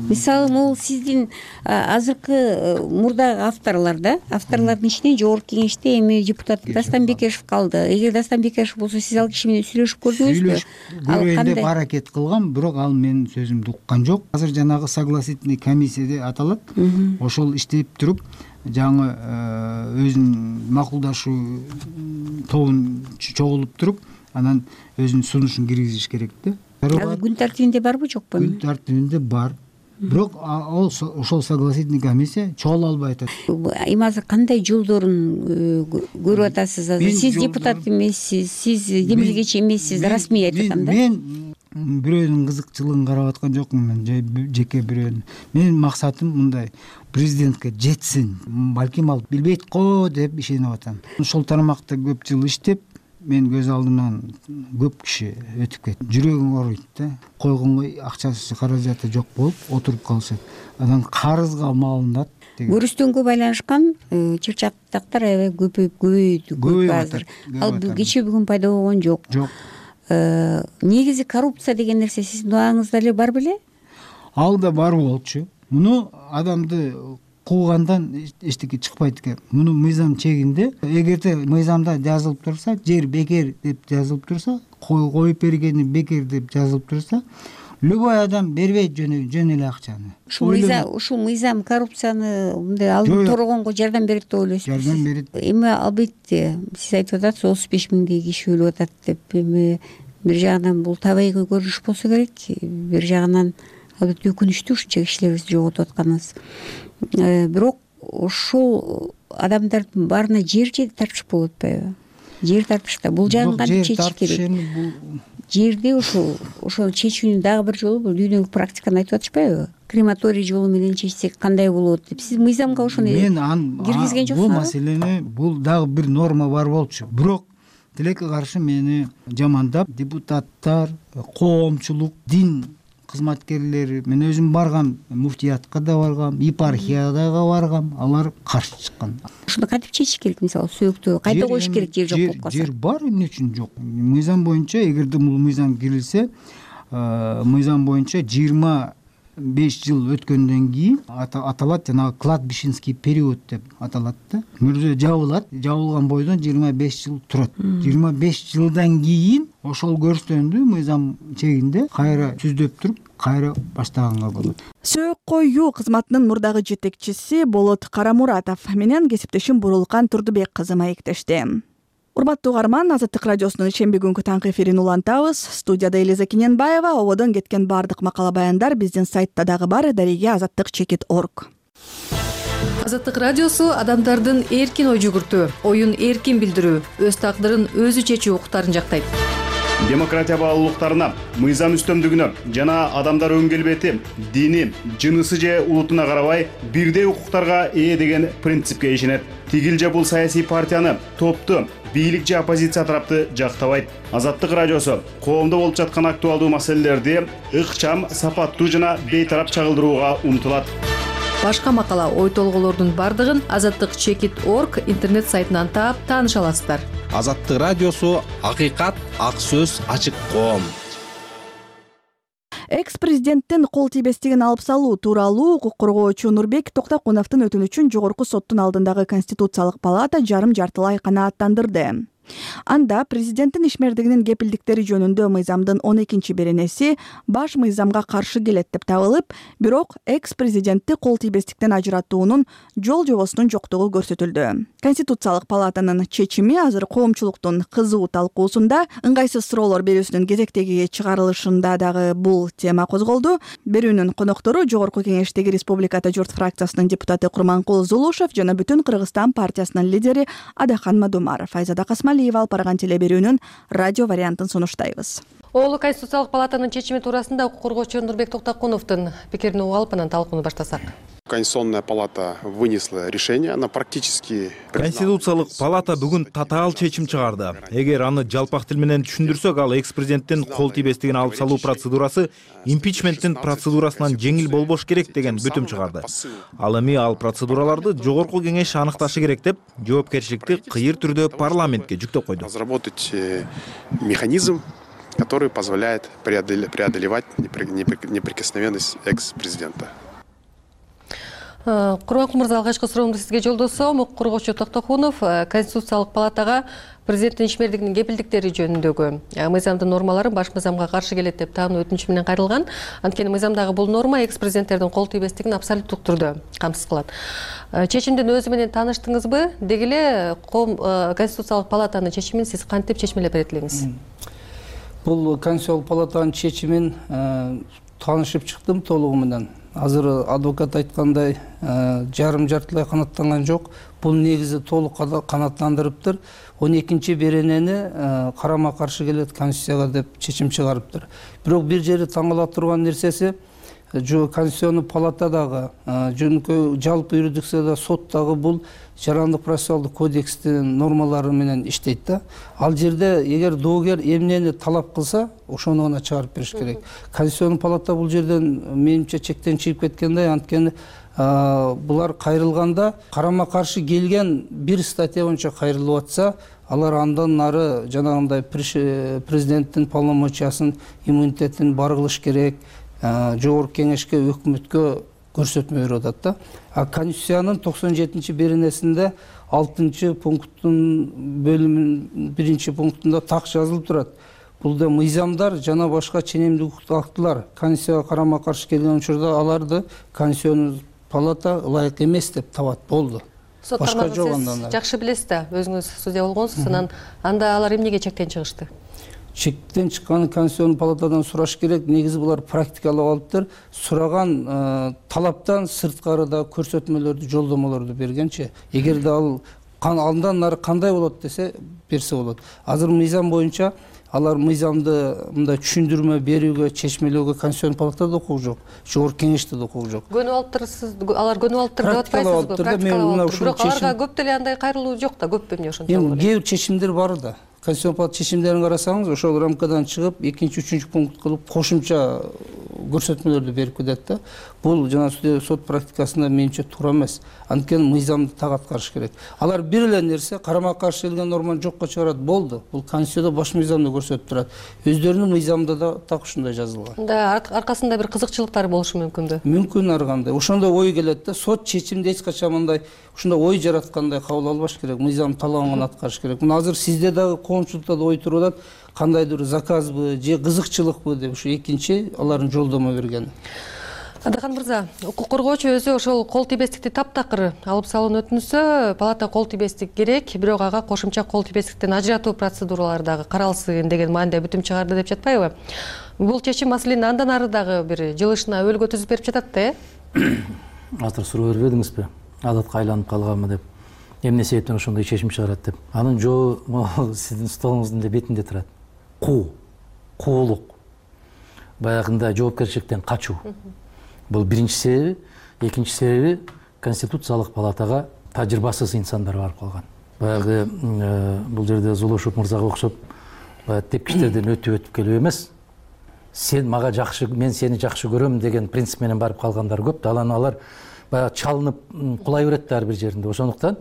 Мисалы, могул сиздин азыркы мурдагы авторлордун ичинен жогорку кеңеште эми депутат Дастан Бекешев калды. Эгер Дастан Бекешев болсо, сиз ал киши менен сүйлөшүп көрдүңүзбү? Көрөйүн деп аракет кылгам, бирок ал менин сөзүмдү уккан жок. Азыр жанагы согласительный комиссия деп аталат. Ошол иштеп туруп, жаңы өзүнүн макулдашуу тобун чогулуп туруп, анан өзүнүн сунушун киргизиш керек да. Ал күн тартибинде барбы, жокпу? Күн тартибинде бар. Бирок ошол согласительный комиссия чогула албай атат. Эми азыр кандай жолдорун көрүп атасыз? Азыр сиз депутат эмессиз, сиз демилгечи эмессиз, расмий айтып атам да. Мен бирөөнүн кызыкчылыгын карап аткан жокмун, жеке бирөөнүн. Менин максатым мындай: президентке жетсин. Балким ал билбейт го деп ишенип атам. Ошол тармакта көп жыл иштеп, мен көз алдымдан көп киши өтүп кетти. Жүрөгүң ооруйт да. Койгонго акчасы, каражаты жок болуп отуруп калышат. Анан карызга малынат. Көрүстөнгө байланышкан чырчактактар аябай көбөйдү азыр. Ал кечээ бүгүн пайда болгон жок. Негизи коррупция деген нерсе сиздин убагыңызда эле бар беле? Ал да бар болчу. Муну адамды куугандан эчтеке чыкпайт экен. Муну мыйзам чегинде, эгерде мыйзамда жазылып турса, жер бекер деп жазылып турса, коюп бергени бекер деп жазылып турса, любой адам бербейт жөн эле акчаны. Ушул мыйзам коррупцияны мындай алдын торогонго жардам берет деп ойлойсузбу? Жардам берет. Эми албетте сиз айтып атасыз 35 000 киши өлүп атат деп. Эми бир жагынан бул табигый көрүнүш болсо керек, бир жагынан албетте өкүнүчтүү ушунча кишилерибизди жоготуп атканыбыз. Бирок ошол адамдардын баарына жер тартыш болуп атпайбы? Жер тартышта бул жагын кантип чечиш керек? Жерде ошол чечүүнүн дагы бир жолу бул дүйнөлүк практиканы айтып атышпайбы? Крематорий жолу менен чечсек кандай болот деп. Сиз мыйзамга ошону киргизген жоксуңузбу? Бул маселени бул дагы бир норма бар болчу. Бирок тилекке каршы мени жамандап депутаттар, коомчулук, дин кызматкерлери, мен өзүм баргам, муфтиятка да баргам, епархияга баргам, алар каршы чыккан. Ушуну кантип чечиш керек? Мисалы сөөктө кайта коюш керек, жер жок болуп калса. Жер бар, эмне үчүн жок? Мыйзам боюнча, эгерде бул мыйзам кирилсе, мыйзам боюнча 25 жыл өткөндөн кийин аталат, жанагы кладбищенский период деп аталат да. Мүрзө жабылат, жабылган бойдон 25 жыл турат. 25 жылдан кийин ошол көрсөтөндү мыйзам чегинде кайра түздөп туруп, кайра баштаганга болот. Сөөк коюу кызматынын мурдагы жетекчиси Болот Карамуратов менен кесиптешим Бурулкан Турдубек кызы маектешти. Урматтуу угарман, Азаттык радиосунун ишемби күнгү таңкы эфирин улантабыз. Студияда Элиза Киненбаева, ободон кеткен бардык макала баяндар биздин сайтта дагы бар, дареге azattik.org. Азаттык радиосу адамдардын эркин ой жүгүртүү, оюн эркин билдирүү, өз тагдырын өзү чечүү укуктарын жактайт. Демократия баалуулуктарына, мыйзам үстөмдүгүнө жана адамдар өң келбети, дини, жынысы же улутуна карабай бирдей укуктарга ээ деген принципке ишенет. Тигил же бул саясий партияны, топту, бийлик же оппозиция тарапты жактабайт. Азаттык радиосу коомдо болуп жаткан актуалдуу маселелерди ыкчам, сапаттуу жана бейтарап чагылдырууга умтулат. Башка макала, ой толголордун бардыгын azattik.org интернет сайтынан таап тааныша аласыздар. Азаттык радиосу акыйкат, ак сөз, ачык коом. Экс-президенттин кол тийбестигин алып салуу тууралуу укук коргоочу Нурбек Токтокуновдун өтүнүчүн Жогорку соттун алдындагы Конституциялык палата жарым-жартылай канааттандырды. Анда президенттин ишмердигинин кепилдиктери жөнүндө мыйзамдын 12-беренеси баш мыйзамга каршы келет деп табылып, бирок экс-президентти кол тийбестиктен ажыратуунун жол жобосунун жоктугу көрсөтүлдү. Конституциялык палатанын чечими азыр коомчулуктун кызуу талкуусунда, ыңгайсыз суроолор берүүсүнүн кезектеги чыгарылышында дагы бул тема козголду. Берүүнүн коноктору Жогорку Кеңештеги Республикада журт фракциясынын депутаты Курманкул Зулушев жана Бүтүн Кыргызстан партиясынын лидери Адахан Мадумаров. Айзада Касмалиева алып барган телеберүүнүн радио вариантын сунуштайбыз. Оолу Конституциялык палатанын чечими туурасында укук коргоочу Нурбек Токтокуновдун пикирин угуп алып, анан талкууну баштасак. Конституционная палата вынесла решение, она практически... Конституциялык палата бүгүн татаал чечим чыгарды. Эгер аны жалпак тил менен түшүндүрсөк, ал экс-президенттин кол тийбестигин алып салуу процедурасы импичменттин процедурасынан жеңил болбош керек деген бүтүм чыгарды. Ал эми ал процедураларды Жогорку Кеңеш аныкташы керек деп, жоопкерчиликти кыйыр түрдө парламентке жүктөп койду. Разработать механизм, который позволяет преодолевать неприкосновенность экс-президента. Курманкул мырза, алгачкы суроомду сизге жолдосом. Укук коргоочу Токтокунов Конституциялык палатага президенттин ишмердигинин кепилдиктери жөнүндөгү мыйзамдын нормалары баш мыйзамга каршы келет деп таануу өтүнүчү менен кайрылган. Анткени мыйзамдагы бул норма экс-президенттердин кол тийбестигин абсолюттук түрдө камсыз кылат. Чечимдин өзү менен тааныштыңызбы? Деги эле Конституциялык палатанын чечимин сиз кантип чечмелеп берет элеңиз? Бул Конституциялык палатанын чечимин таанышып чыктым толугу менен. Азыр адвокат айткандай жарым-жартылай канааттанган жок. Бул негизи толук канааттандырыптыр. 12-беренени карама каршы келет Конституцияга деп чечим чыгарыптыр. Бирок бир жери таң кала турган нерсеси, Конституционный палатадагы жөнөкөй жалпы юрисдикцияда соттагы бул жарандык процессуалдык кодекстин нормалары менен иштейт да. Ал жерде эгер доогер эмнени талап кылса, ошону гана чыгарып бериш керек. Конституционный палата бул жерден менимче чектен чыгып кеткенде, анткени булар кайрылганда карама каршы келген бир статья боюнча кайрылып атса, алар андан нары жанагындай президенттин полномочиясын, иммунитетин бар кылыш керек. Жогорку Кеңешке, өкмөткө көрсөтмө берип атат да. Конституциянын 97-беренесинде 6-пункттун бөлүмүнүн 1-пунктунда так жазылып турат. Бул мыйзамдар жана башка ченемдик укуктук актылар Конституцияга карама каршы келген учурда аларды Конституционный палата ылайык эмес деп табат. Болду. Башка жок андан. Жакшы билесиз да, өзүңүз судья болгонсуз, анан анда алар эмнеге чектен чыгышты? чектен чыккан конституционный палатадан сураш керек. Негизи булар практикалап алыптыр. Сураган талаптан сырткары да көрсөтмөлөрдү, жолдомолорду бергенчи. Эгерде ал андан нары кандай болот десе берсе болот. Азыр мыйзам боюнча алар мыйзамды мындай түшүндүрмө берүүгө, чечмелөөгө конституционный палатада окугу жок, жогорку кеңеште да окугу жок. Көнүп алыптырсыз, алар көнүп алыптыр деп атпайсызбы? Практикалап бирок аларга көп деле андай кайрылуу жок да, көппү эмне ошентип. Эми кээ бир чечимдер бар да. Конституцион палата чечимдерин карасаңыз, ошол рамкадан чыгып, 2-3 пункт кылып кошумча көрсөтмөлөрдү берип кетет да. Бул жана сот практикасында менимче туура эмес. Анткени мыйзамды так аткарыш керек. Алар бир эле нерсе карама каршы келген норманы жокко чыгарат, болду. Бул конституцияда баш мыйзамда көрсөтүп турат. Өздөрүнүн мыйзамында да так ушундай жазылган. Да, аркасында бир кызыкчылыктар болушу мүмкүнбү? Мүмкүн ар кандай. Ошондой ой келет да, сот чечимди эч качан мындай ушундай ой жараткандай кабыл албаш керек. Мыйзам талабын аткарыш керек. Мына азыр сизде дагы коомчулукта да ой туруп атат, кандайдыр заказбы же кызыкчылыкпы деп ушу экинчи алардын жолдомо бергени. Адахан мырза, укук коргоочу өзү ошол кол тийбестикти таптакыр алып салууну өтүнсө, палата кол тийбестик керек, бирок ага кошумча кол тийбестиктен ажыратуу процедуралары дагы каралсын деген маанидә бүтүм чыгарды деп жатпайбы? Бул чечим маселени андан ары дагы бир жылышына өбөлгө түзүп берип жатат да, Азыр суроо бербедиңизби? Адатка айланып калганбы деп. Эмне себептен ошондой чечим чыгарат деп. Анын жообу сиздин столуңуздун бетинде турат. Куулук. Баягында жоопкерчиликтен качуу. Бул биринчи себеби, экинчи себеби конституциялык палатага тажрыйбасыз инсандар барып калган. Баягы бул жерде Зулушев мырзага окшоп тепкичтерден өтүп келип эмес. Сен мага жакшы, мен сени жакшы көрөм деген принцип менен барып калгандар көп. Алар баягы чалынып кулай берет да ар бир жеринде. Ошондуктан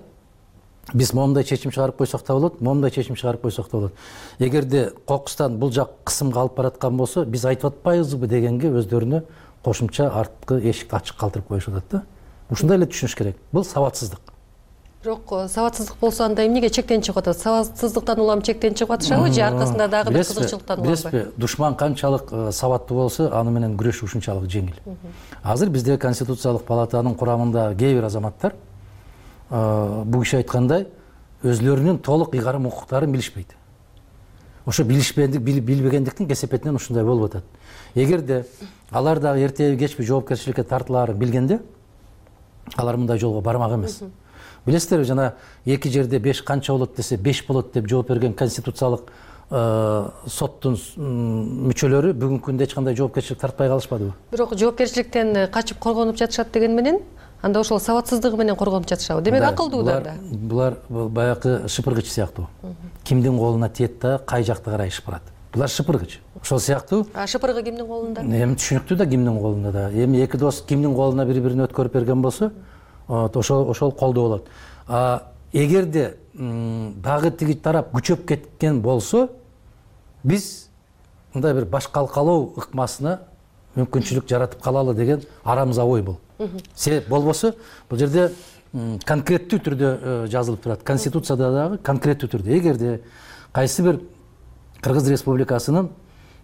биз момундай чечим чыгарып койсок да болот, момундай чечим чыгарып койсок да болот. Эгерде кокустан бул жак кысымга алып бараткан болсо, биз айтып атпайбызбы дегенге өздөрүнө кошумча арткы эшикти ачык калтырып коюшат да. Ушундай эле түшүнүш керек. Бул сабатсыздык. Бирок сабатсыздык болсо анда эмнеге чектен чыгып атат? Сабатсыздыктан улам чектен чыгып атышабы же аркасында дагы бир кызыкчылыктан уламбы? Билесизби, душман канчалык сабаттуу болсо, аны менен күрөшүү ушунчалык жеңил. Азыр бизде конституциялык палатанын курамында кээ бир азаматтар бул киши айткандай өзлөрүнүн толук ыйгарым укуктарын билишпейт. Ошо билбегендиктин кесепетинен ушундай болуп атат. Эгерде алар дагы эртеби кечпи жоопкерчиликке тартылаарын билгенде, алар мындай жолго бармак эмес. Билесиздерби, жана эки жерде 5 канча болот десе 5 болот деп жооп берген конституциялык соттун мүчөлөрү бүгүнкү күндө эч кандай жоопкерчилик тартпай калышпадыбы? Бирок жоопкерчиликтен качып коргонуп жатышат деген менен, анда ошол сабатсыздыгы менен коргонуп жатышабы? Демек акылдуу да. Булар баягы шыпыргыч сыяктуу. Кимдин колуна тиет да кай жакты карай шыпырат. Булар шыпыргыч. Ошол сыяктуу. Шыпыргы кимдин колунда? Эми түшүнүктүү да кимдин колунда да. Эми эки дос кимдин колуна бири-бирин өткөрүп берген болсо, ошол колдоо болот. Эгерде дагы тиги тарап күчөп кеткен болсо, биз мындай бир баш калкалоо ыкмасына мүмкүнчүлүк жаратып калалы деген арамызда ой бул. Себеп болбосо, бул жерде конкреттүү түрдө жазылып турат. Конституцияда дагы конкреттүү түрдө. Эгерде кайсы бир Кыргыз Республикасынын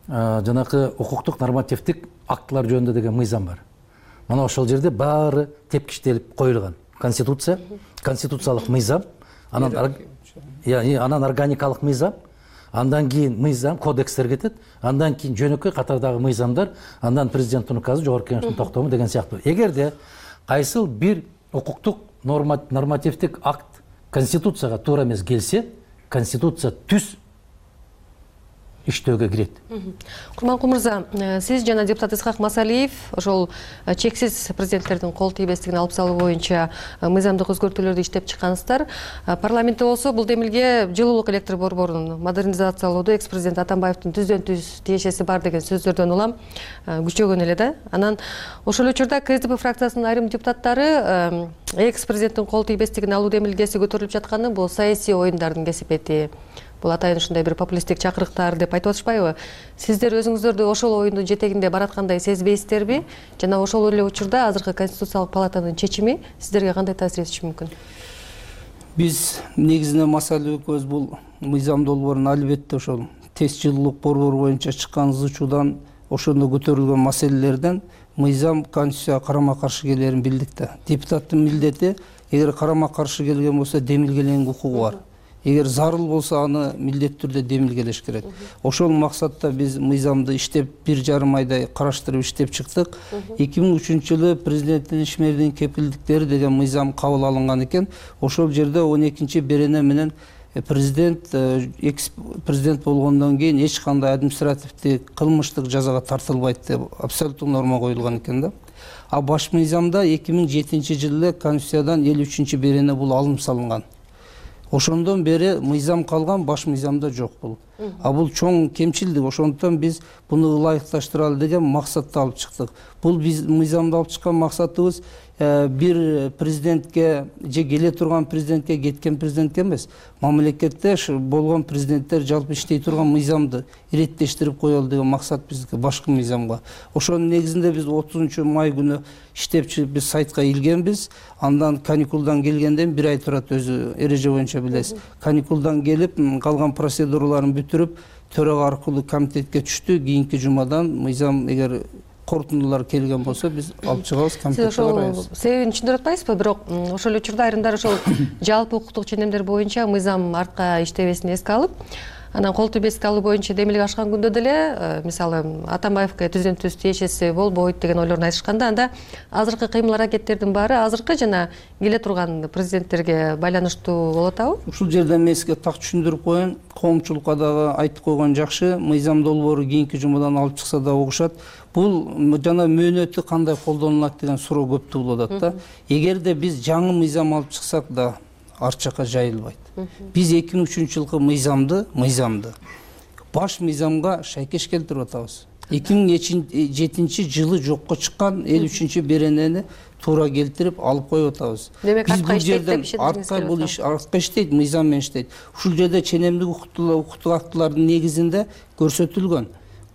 жанакы укуктук нормативдик актылар жөнүндө деген мыйзам бар. Мына ошол жерде баары тепкичтелип коюлган. Конституция, конституциялык мыйзам, анан органикалык мыйзам, андан кийин мыйзам, кодекстер кетет, андан кийин жөнөкөй катардагы мыйзамдар, андан президенттин указы, жогорку кеңештин токтому деген сыяктуу. Эгерде кайсыл бир укуктук нормативдик акт конституцияга туура эмес келсе, конституция түз иштөөгө кирет. Курманкул мырза, сиз жана депутат Исхак Масалиев ошол чексиз президенттердин кол тийбестигин алып салуу боюнча мыйзамдык өзгөртүүлөрдү иштеп чыккансыздар. Парламентте болсо бул демилге жылуулук электр борборун модернизациялоодо экс-президент Атамбаевдин түздөн-түз тиешеси бар деген сөздөрдөн улам күчөгөн эле да. Анан ошол учурда КСДП фракциясынын айрым депутаттары экс-президенттин кол тийбестигин алуу демилгеси көтөрүлүп жатканы бул саясий оюндардын кесепети. Бул атайын ушундай бир популисттик чакырыктар деп айтып атышпайбы? Сиздер өзүңүздөрдү ошол оюндун жетегинде бараткандай сезбейсиздерби? Жана ошол эле учурда азыркы конституциялык палатанын чечими сиздерге кандай таасир этиши мүмкүн? Биз негизинен Масалиев экөөбүз бул мыйзам долбоорун албетте ошол тез жылуулук борбору боюнча чыккан зычуудан, ошондо көтөрүлгөн маселелерден мыйзам конституцияга карама каршы келерин билдик да. Депутаттын милдети эгер карама каршы келген болсо демилгелеңге укугу бар. эгер зарыл болсо аны милдеттүү түрдө демилгелеш керек. Ошол максатта биз мыйзамды иштеп 1,5 айдай караштырып иштеп чыктык. 2003-жылы президенттин ишмердин кепилдиктери деген мыйзам кабыл алынган экен. Ошол жерде 12-берене менен президент болгондон кийин эч кандай административдик кылмыштык жазага тартылбайт деп абсолюттук норма коюлган экен да. А баш мыйзамда 2007-жылы Конституциядан 53-берене бул алым салынган. Ошондон бери мыйзам калган, баш мыйзамда жок бул. А бул чоң кемчилдик. Ошондон биз буну ылайыкташтыралы деген максатты алып чыктык. Бул биз мыйзамды алып чыккан максатыбыз бир президентке же келе турган президентке, кеткен президентке эмес, мамлекетте болгон президенттер жалпы иштей турган мыйзамды иреттештирип коелу деген максат биздики башкы мыйзамга. Ошонун негизинде биз 30-май күнү иштеп чыгып биз сайтка илгенбиз. Андан каникулдан келгенден 1 ай турат, өзү эреже боюнча билесиз. Каникулдан келип калган процедураларын бүтүрүп төрага аркылуу комитетке түштү. Кийинки жумадан мыйзам эгер корутундулар келген болсо биз алып чыгабыз, комитетке карайбыз. Себебин түшүндүрүп атпайсызбы? Бирок ошол учурда айрымдар ошол жалпы укуктук ченемдер боюнча мыйзам артка иштебесин эске алып, анан кол тийбестик алуу боюнча демилге ашкан күндө деле мисалы Атамбаевге түзүнтүс тиешеси болбойт деген ойлорун айтышканда, анда азыркы кыймыл аракеттердин баары азыркы жана келе турган президенттерге байланыштуу болуп атабы? Ушул жерде мен сизге так түшүндүрүп коеюн. Коомчулукка дагы айтып койгон жакшы. Мыйзам долбоору кийинки жумадан алып чыкса да угушат. Бул жана мөөнөтү кандай колдонулат деген суроо көп туулуп атат да. Эгерде биз жаңы мыйзам алып чыксак да арт жакка жайылбайт. Биз 2003-жылкы мыйзамды баш мыйзамга шайкеш келтирип атабыз. 2007-жылы жокко чыккан 53-беренени туура келтирип алып коюп атабыз. Демек артка иштейт деп ишендиңиз. Бул иш артка иштейт, мыйзам менен иштейт. Ушул жерде ченемдик укуктук актылардын негизинде көрсөтүлгөн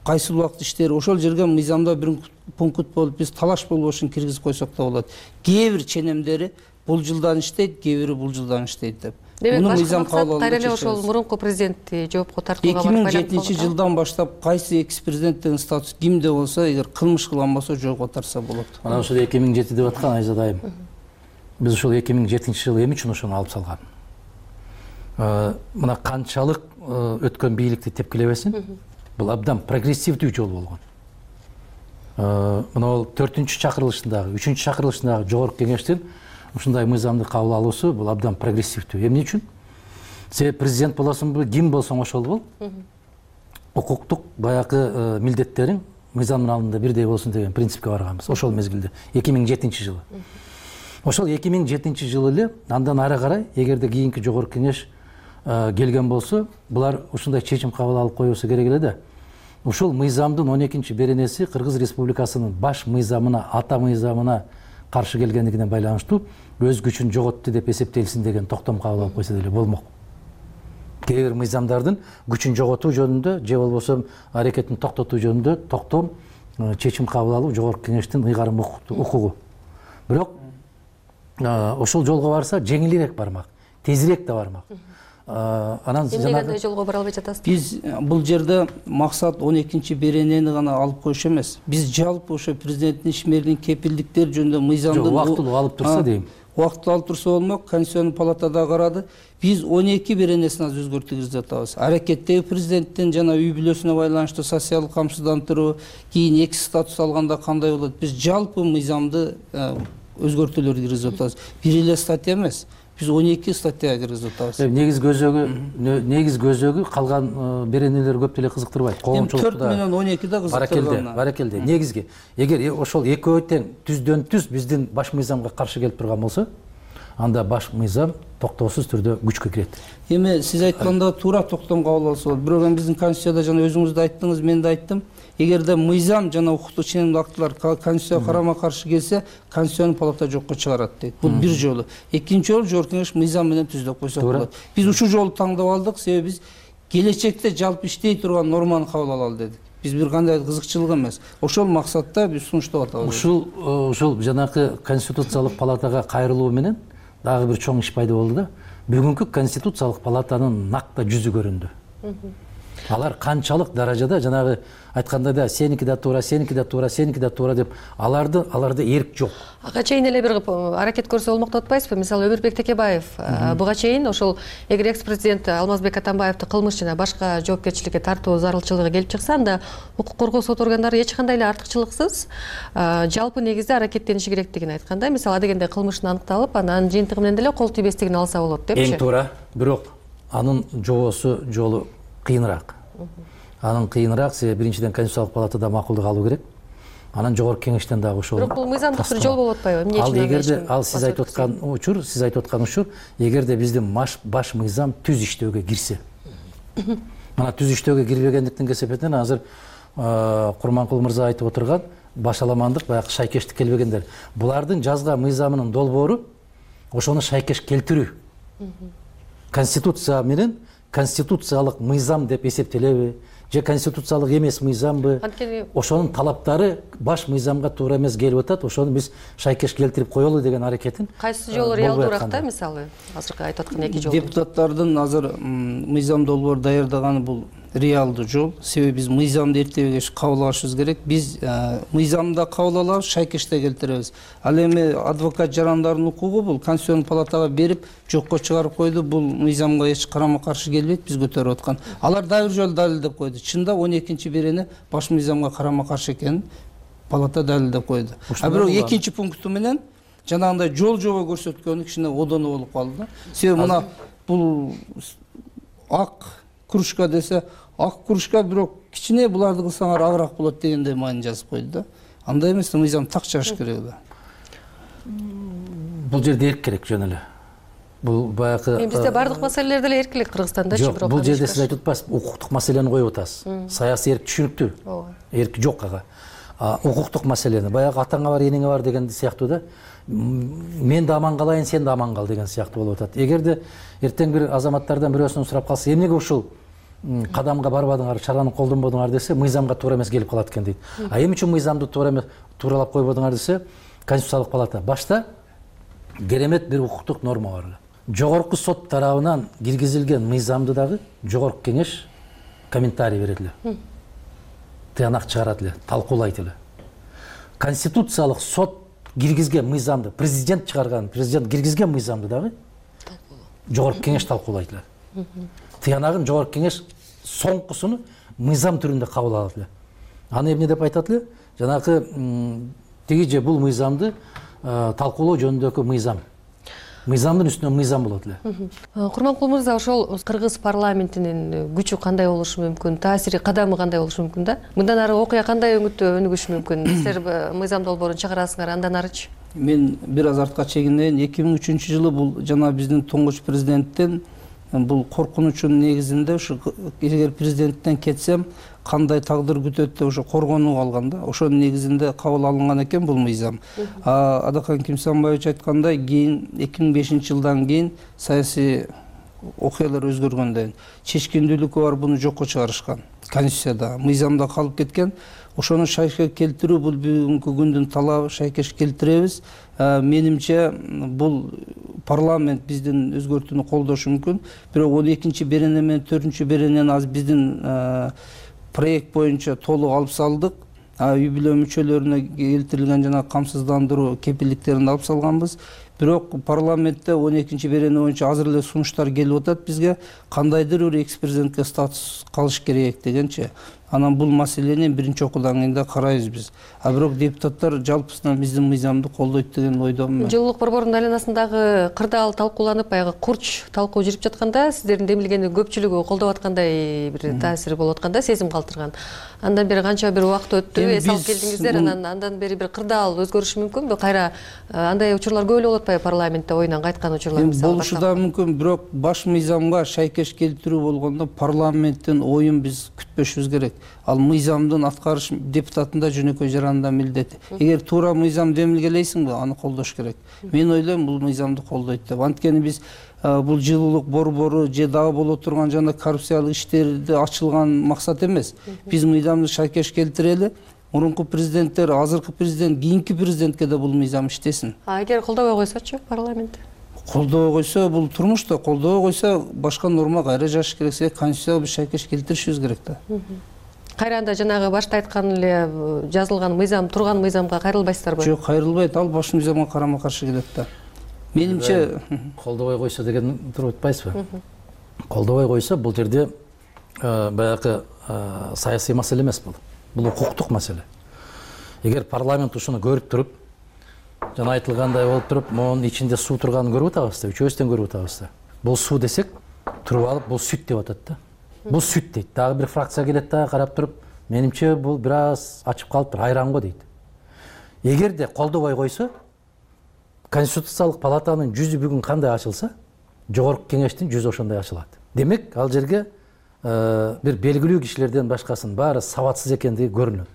кайсы убакыт иштери. Ошол жерге мыйзамда бир пункт болуп биз талаш болбошун киргизип койсок да болот. Кээ бир ченемдери бул жылдан иштейт, кээ бири бул жылдан иштейт деп. Демек башкы максат кайра ошол мурунку президентти жоопко тартууга барып 2007-жылдан баштап кайсы экс-президент деген статус кимде болсо, эгер кылмыш кылган болсо жоопко тартса болот. Мына ошол 2007 деп аткан Айзадайым. Биз ошол 2007-жылы эми үчүн ошону алып салган. Мына канчалык өткөн бийликти тепкилебесин, бул абдан прогрессивдүү жол болгон. Мына ол 4-чакырылышындагы, 3-чакырылышындагы жогорку кеңештин ушундай мыйзамды кабыл алуусу бул абдан прогрессивдүү. Эмне үчүн? Сен президент болосуңбу, ким болсоң ошол бол. Укуктук баягы милдеттериң мыйзамдын алдында бирдей болсун деген принципке барганбыз. Ошол мезгилде 2007-жылы. Ошол 2007-жылы эле андан ары карай эгерде кийинки жогорку кеңеш келген болсо, булар ушундай чечим кабыл алып коюусу керек эле да. Ушул мыйзамдын 12-беренеси Кыргыз Республикасынын баш мыйзамына, ата мыйзамына каршы келгендигине байланыштуу өз күчүн жоготту деп эсептелсин деген токтом кабыл алып койсо деле болмок. Кээ бир мыйзамдардын күчүн жоготуу жөнүндө же болбосо аракетин токтотуу жөнүндө токтом чечим кабыл алуу жогорку кеңештин ыйгарым укугу. Бирок ошол жолго барса жеңилирээк бармак, тезирээк да бармак. Анан эмнеге жолго бара албай жатасыз? Биз бул жерде максат 12-беренени гана алып коюш эмес. Биз жалпы ошо президенттин ишмердин кепилдиктери жөнүндө мыйзамды убактылуу алып турса дейм. Убактылуу алып турса болмок. Конституционный палатада карады. Биз 12-беренесин азыр өзгөртүп атабыз. Аракеттеги президенттин жана үй бүлөсүнө байланыштуу социалдык камсыздандыруу, кийин экс статус алганда кандай болот? Биз жалпы мыйзамды өзгөртүүлөр киргизип атабыз. Бир эле статья эмес. Биз 12 статья киргизип атабыз. Негиз көзөгү калган беренелер көп деле кызыктырбайт. Коомчулукта 4 менен 12 да кызыктырган. Баракелде. Негизги эгер ошол экөө тең түздөн-түз биздин баш мыйзамга каршы келип турган болсо, анда баш мыйзам токтоосуз түрдө күчкө кирет. Эми сиз айтканда туура токтом кабыл алса болот. Бирок эми биздин Конституцияда жана өзүңүз да айттыңыз, мен да айттым. Эгерде мыйзам жана укуктук ченемдик актылар Конституцияга карама каршы келсе, Конституционный палата жокко чыгарат дейт. Бул бир жолу. Экинчи жолу жогорку кеңеш мыйзам менен түздөп койсок болот. Биз ушул жолду тандап алдык, себеби биз келечекте жалпы иштей турган норманы кабыл алалы дедик. Биз бир кандай кызыкчылык эмес. Ошол максатта биз сунуштап атабыз. Ушул жанакы Конституциялык палатага кайрылуу менен дагы бир чоң иш пайда болду да. Бүгүнкү Конституциялык палатанын накта жүзү көрүндү. Алар канчалык даражада жанагы айткандай да сеники да туура, сеники да туура, сеники да туура деп аларда эрк жок. Ага чейин эле бир аракет көрсө болмок деп атпайсызбы? Мисалы Өмүрбек Текебаев буга чейин ошол эгер экс-президент Алмазбек Атамбаевди кылмыш жана башка жоопкерчиликке тартуу зарылчылыгы келип чыкса, анда укук коргоо сот органдары эч кандай эле артыкчылыксыз жалпы негизде аракеттениши керектигин айтканда, мисалы адегенде кылмыштын аныкталып, анан жыйынтыгы менен деле кол тийбестигин алса болот депчи. Эң туура, бирок анын жолу кыйыныраак. Анын кыйыныраак себеби биринчиден Конституциялык палатада макулдук алуу керек. Анан жогорку кеңештен дагы ошол. Бирок бул мыйзамдык бир жол болуп атпайбы? Эмне үчүн? Ал эгерде сиз айтып аткан учур, эгерде биздин баш мыйзам түз иштөөгө кирсе. Мына түз иштөөгө кирбегендиктин кесепетинен азыр Курманкул мырза айтып отурган башаламандык, баягы шайкештик келбегендер. Булардын жазга мыйзамынын долбоору ошону шайкеш келтирүү. Конституция менен конституциялык мыйзам деп эсептелеби же конституциялык эмес мыйзамбы? Ошонун талаптары баш мыйзамга туура эмес келип атат. Ошону биз шайкеш келтирип коелу деген аракетин. Кайсы жолу реалдуураак да, мисалы? Азыркы айтып аткан эки жол. Депутаттардын азыр мыйзам долбоор даярдаганы бул реалдуу жол. Себеби биз мыйзамды эртебегеш кабыл алышыбыз керек. Биз мыйзамда кабыл алабыз, шайкеште келтиребиз. Ал эми адвокат жарандардын укугу бул Конституциялык палатага берип жокко чыгарып койду. Бул мыйзамга эч карама-каршы келбейт, биз көтөрүп аткан. Алар дагы бир жолу далилдеп койду. Чында 12-берени баш мыйзамга карама-каршы экенин палата далилдеп койду. А бирок экинчи пункту менен жанагындай жол жобо көрсөткөнү кичине одону болуп калды да. Себеби мына бул ак кружка десе, ак кружка бирок кичине буларды кылсаңар агыраак болот дегендей маани жазып койду да. Андай эмес, мыйзам так чыгыш керек да. Бул жерде эрк керек жөн эле. Бул баягы бизде бардык маселелер деле эркилик Кыргызстандачы, бирок бул жерде сиз айтып атпайсызбы, укуктук маселени коюп атасыз. Саясий эрк түшүнүктүү. Эрк жок ага. Укуктук маселени баягы атаңа бар, энеңе бар деген сыяктуу да. Мен да аман калайын, сен да аман кал деген сыяктуу болуп атат. Эгерде эртең бир азаматтардан бирөөсүнөн сурап калса, эмнеге ушул кадамга барбадыңар, чараны колдонбодуңар десе, мыйзамга туура эмес келип калат экен дейт. А эмне үчүн мыйзамды тууралап койбодуңар десе, Конституциялык палата башта керемет бир укуктук норма бар эле. Жогорку сот тарабынан киргизилген мыйзамды дагы жогорку кеңеш комментарий берет эле. Тыянак чыгарат эле, талкуулайт эле. Конституциялык сот киргизген мыйзамды, президент чыгарган, президент киргизген мыйзамды дагы жогорку кеңеш талкуулайт эле. Тыянагын жогорку кеңеш соңкусуну мыйзам түрүндө кабыл алат эле. Аны эмне деп айтат эле? Жанагы тиги же бул мыйзамды талкуулоо жөнүндөгү мыйзам. Мыйзамдын үстүнөн мыйзам болот эле. Курманкул мырза, ошол кыргыз парламентинин күчү кандай болушу мүмкүн, таасири, кадамы кандай болушу мүмкүн да? Мындан ары окуя кандай өңүттө өнүгүшү мүмкүн? Силер мыйзам долбоорун чыгарасыңар, андан арычы? Мен бир аз артка чегинейин. 2003-жылы бул жана биздин тоңгуч президенттен бул коркунучунун негизинде ушу эгер президенттен кетсем кандай тагдыр күтөт деп ошо коргонуп алган да. Ошонун негизинде кабыл алынган экен бул мыйзам. Адакан Кимсанбаевич айткандай, кийин 2005-жылдан кийин саясий окуялар өзгөргөндөн чечкиндүүлүкү бар, буну жокко чыгарышкан. Конституцияда, мыйзамда калып кеткен. Ошону шайкеш келтирүү бул бүгүнкү күндүн талабы, шайкеш келтиребиз. Менимче бул парламент биздин өзгөртүүнү колдошу мүмкүн. Бирок 12-берене менен 4-беренени аз биздин проект боюнча толук алып салдык. Үй бүлө мүчөлөрүнө келтирилген жана камсыздандыруу кепилдиктерин алып салганбыз. Бирок парламентте 12-берене боюнча азыр эле сунуштар келип атат бизге. Кандайдыр бир экс-президентке статус калыш керек дегенчи. Анан бул маселени биринчи окуудан кийин да карайбыз биз. А бирок депутаттар жалпысынан биздин мыйзамды колдойт деген ойдомун. Жылуулук борборунун айланасындагы кырдаал талкууланып, баягы курч талкуу жүрүп жатканда, сиздердин демилгени көпчүлүгү колдоп аткандай бир таасири болуп атканда, сезим калтырган. Андан бери канча бир убакыт өттү, эс алып келдиңиздер, андан бери бир кырдаал өзгөрүшү мүмкүнбү? Кайра андай учурлар көп эле болуп атпайбы парламентте оюнан кайткан учурлар мисалы? Болушу да мүмкүн, бирок баш мыйзамга шайкеш келтирүү болгондо парламенттин оюн биз күтпөшүбүз керек. Ал мыйзамдын аткарыш депутатында жөнөкөй жарандын милдети. Эгер туура мыйзам демилгелейсиңби, аны колдош керек. Мен ойлойм, бул мыйзамды колдойт деп. Анткени биз бул жылуулук борбору же дагы боло турган жана коррупциялык иштерди ачылган максат эмес. Биз мыйзамды шайкеш келтирели. Мурунку президенттер, азыркы президент, кийинки президентке да бул мыйзам иштесин. Эгер колдобой койсочу парламент? колдобой койсо, бул турмушта колдобой койсо башка норма кайра жазыш керек, себеби конституцияга биз шайкеш келтиришибиз керек да. Кайра анда жанагы башта айткан эле жазылган мыйзам, турган мыйзамга кайрылбайсыздарбы? Жок, кайрылбайт. Ал баш мыйзамга карама-каршы келет да. Менимче колдобой койсо деген туруп атпайсызбы? Колдобой койсо бул жерде баягы саясий маселе эмес бул. Бул укуктук маселе. Эгер парламент ушуну көрүп туруп, жана айтылгандай болуп туруп, монун ичинде суу турганын көрүп атабыз да, үчөөбүздөн көрүп атабыз да. Бул суу десек, туруп алып, бул сүт деп атат да. Бул сүт дейт. Дагы бир фракция келет да, карап туруп, менимче бул бир аз ачып калыптыр, айран го дейт. Эгерде колдобой койсо, Конституциялык палатанын жүзү бүгүн кандай ачылса, жогорку кеңештин жүзү ошондой ачылат. Демек, ал жерге бир белгилүү кишилерден башкасынын баары сабатсыз экендиги көрүнөт.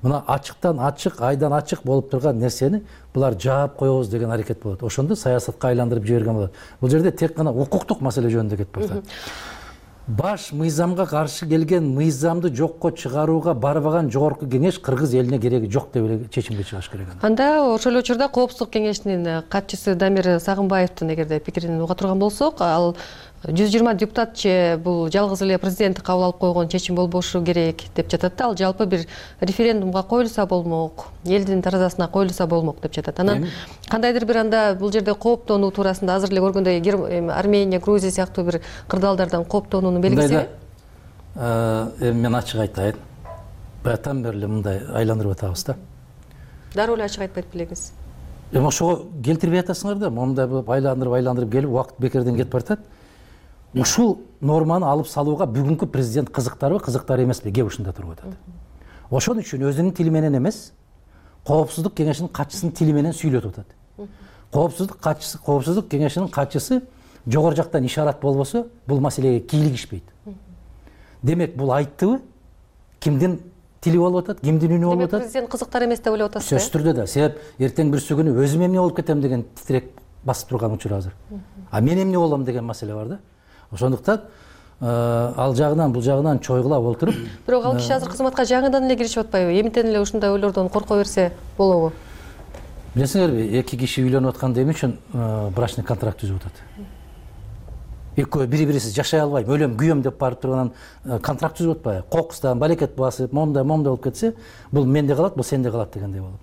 Мына ачыктан ачык, айдан ачык болуп турган нерсени булар жаап коебуз деген аракет болот. Ошондо саясатка айландырып жиберген болот. Бул жерде тек гана укуктук маселе жөнүндө кетип атат. Баш мыйзамга каршы келген мыйзамды жокко чыгарууга барбаган жогорку кеңеш кыргыз элине кереги жок деп эле чечимге чыгыш керек. Анда ошол эле учурда Коопсуздук кеңешинин катчысы Дамир Сагынбаевдин эгерде пикирин уга турган болсок, ал 120 депутат же бул жалгыз эле президент кабыл алып койгон чечим болбошу керек деп жатат да. Ал жалпы бир референдумга коюлса болмок, элдин таразасына коюлса болмок деп жатат. Анан кандайдыр бир анда бул жерде кооптонуу туурасында азыр эле көргөндөй Армения, Грузия сыяктуу бир кырдаалдардан кооптонуунун белгиси. Мен ачык айтайын. Баягытан бери эле мындай айландырып атабыз да. Дароо эле ачык айтпайт белеңиз. Ошого келтирбей атасыңар да, мондай айландырып келип убакыт бекерден кетип баратат. Ушул норманы алып салууга бүгүнкү президент кызыктарбы, кызыктар эмеспи, кеп ушунда туруп атат. Ошон үчүн өзүнүн тили менен эмес, Коопсуздук кеңешинин катчысынын тили менен сүйлөтүп атат. Коопсуздук кеңешинин катчысы жогору жактан ишарат болбосо, бул маселеге кийлигишпейт. Демек, бул айттыбы? Кимдин тили болуп атат, кимдин үнү болуп атат? Демек, президент кызыктар эмес деп ойлоп атасыз? Сөзсүз түрдө да. Себеп эртең бирсү күнү өзүм эмне болуп кетем деген титирек басып турган учур азыр. А мен эмне болом деген маселе бар да. Ошондуктан ал жагынан бул жагынан чойгулап отуруп. Бирок ал киши азыр кызматка жаңыдан эле киришип атпайбы? Эмнетен эле ушундай ойлордон корко берсе болобу? Билесиңерби, эки киши үйлөнүп атканда эмне үчүн брачный контракт түзүп атат? Экөө бири-бирисиз жашай албайм, өлөм, күйөм деп барып турганан контракт түзүп атпайбы? Кокустан барекет басып, момда болуп кетсе, бул менде калат, бул сенде калат дегендей болуп.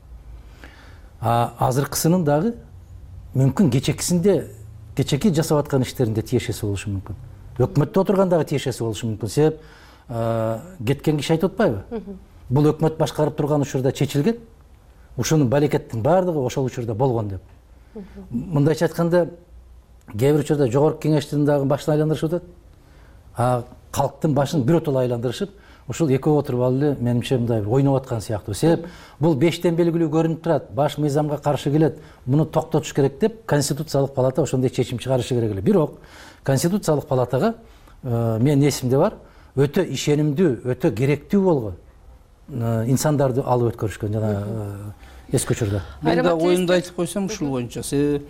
Азыркысынын дагы мүмкүн кечеки жасап аткан иштеринде тиешеси болушу мүмкүн. Өкмөттө отургандагы тиешеси болушу мүмкүн. Себеп кеткен киши айтып атпайбы? Бул өкмөт башкарып турган учурда чечилген, ушунун барекеттин баардыгы ошол учурда болгон деп. Мындайча айтканда, кээ бир учурда жогорку кеңештин дагы башын айландырышып атат. Калктын башын биротоло айландырышып, ушул экөө отуруп алып эле менимче мындай бир ойноп аткан сыяктуу. Себеп бул 5тен белгилүү көрүнүп турат, баш мыйзамга каршы келет, муну токтотуш керек деп Конституциялык палата ошондой чечим чыгарышы керек эле. Бирок Конституциялык палатага менин эсимде бар, өтө ишенимдүү, өтө керектүү болгон инсандарды алып өткөрүшкөн жана эске учурда. Мен да оюмду айтып койсом ушул боюнча. Себеби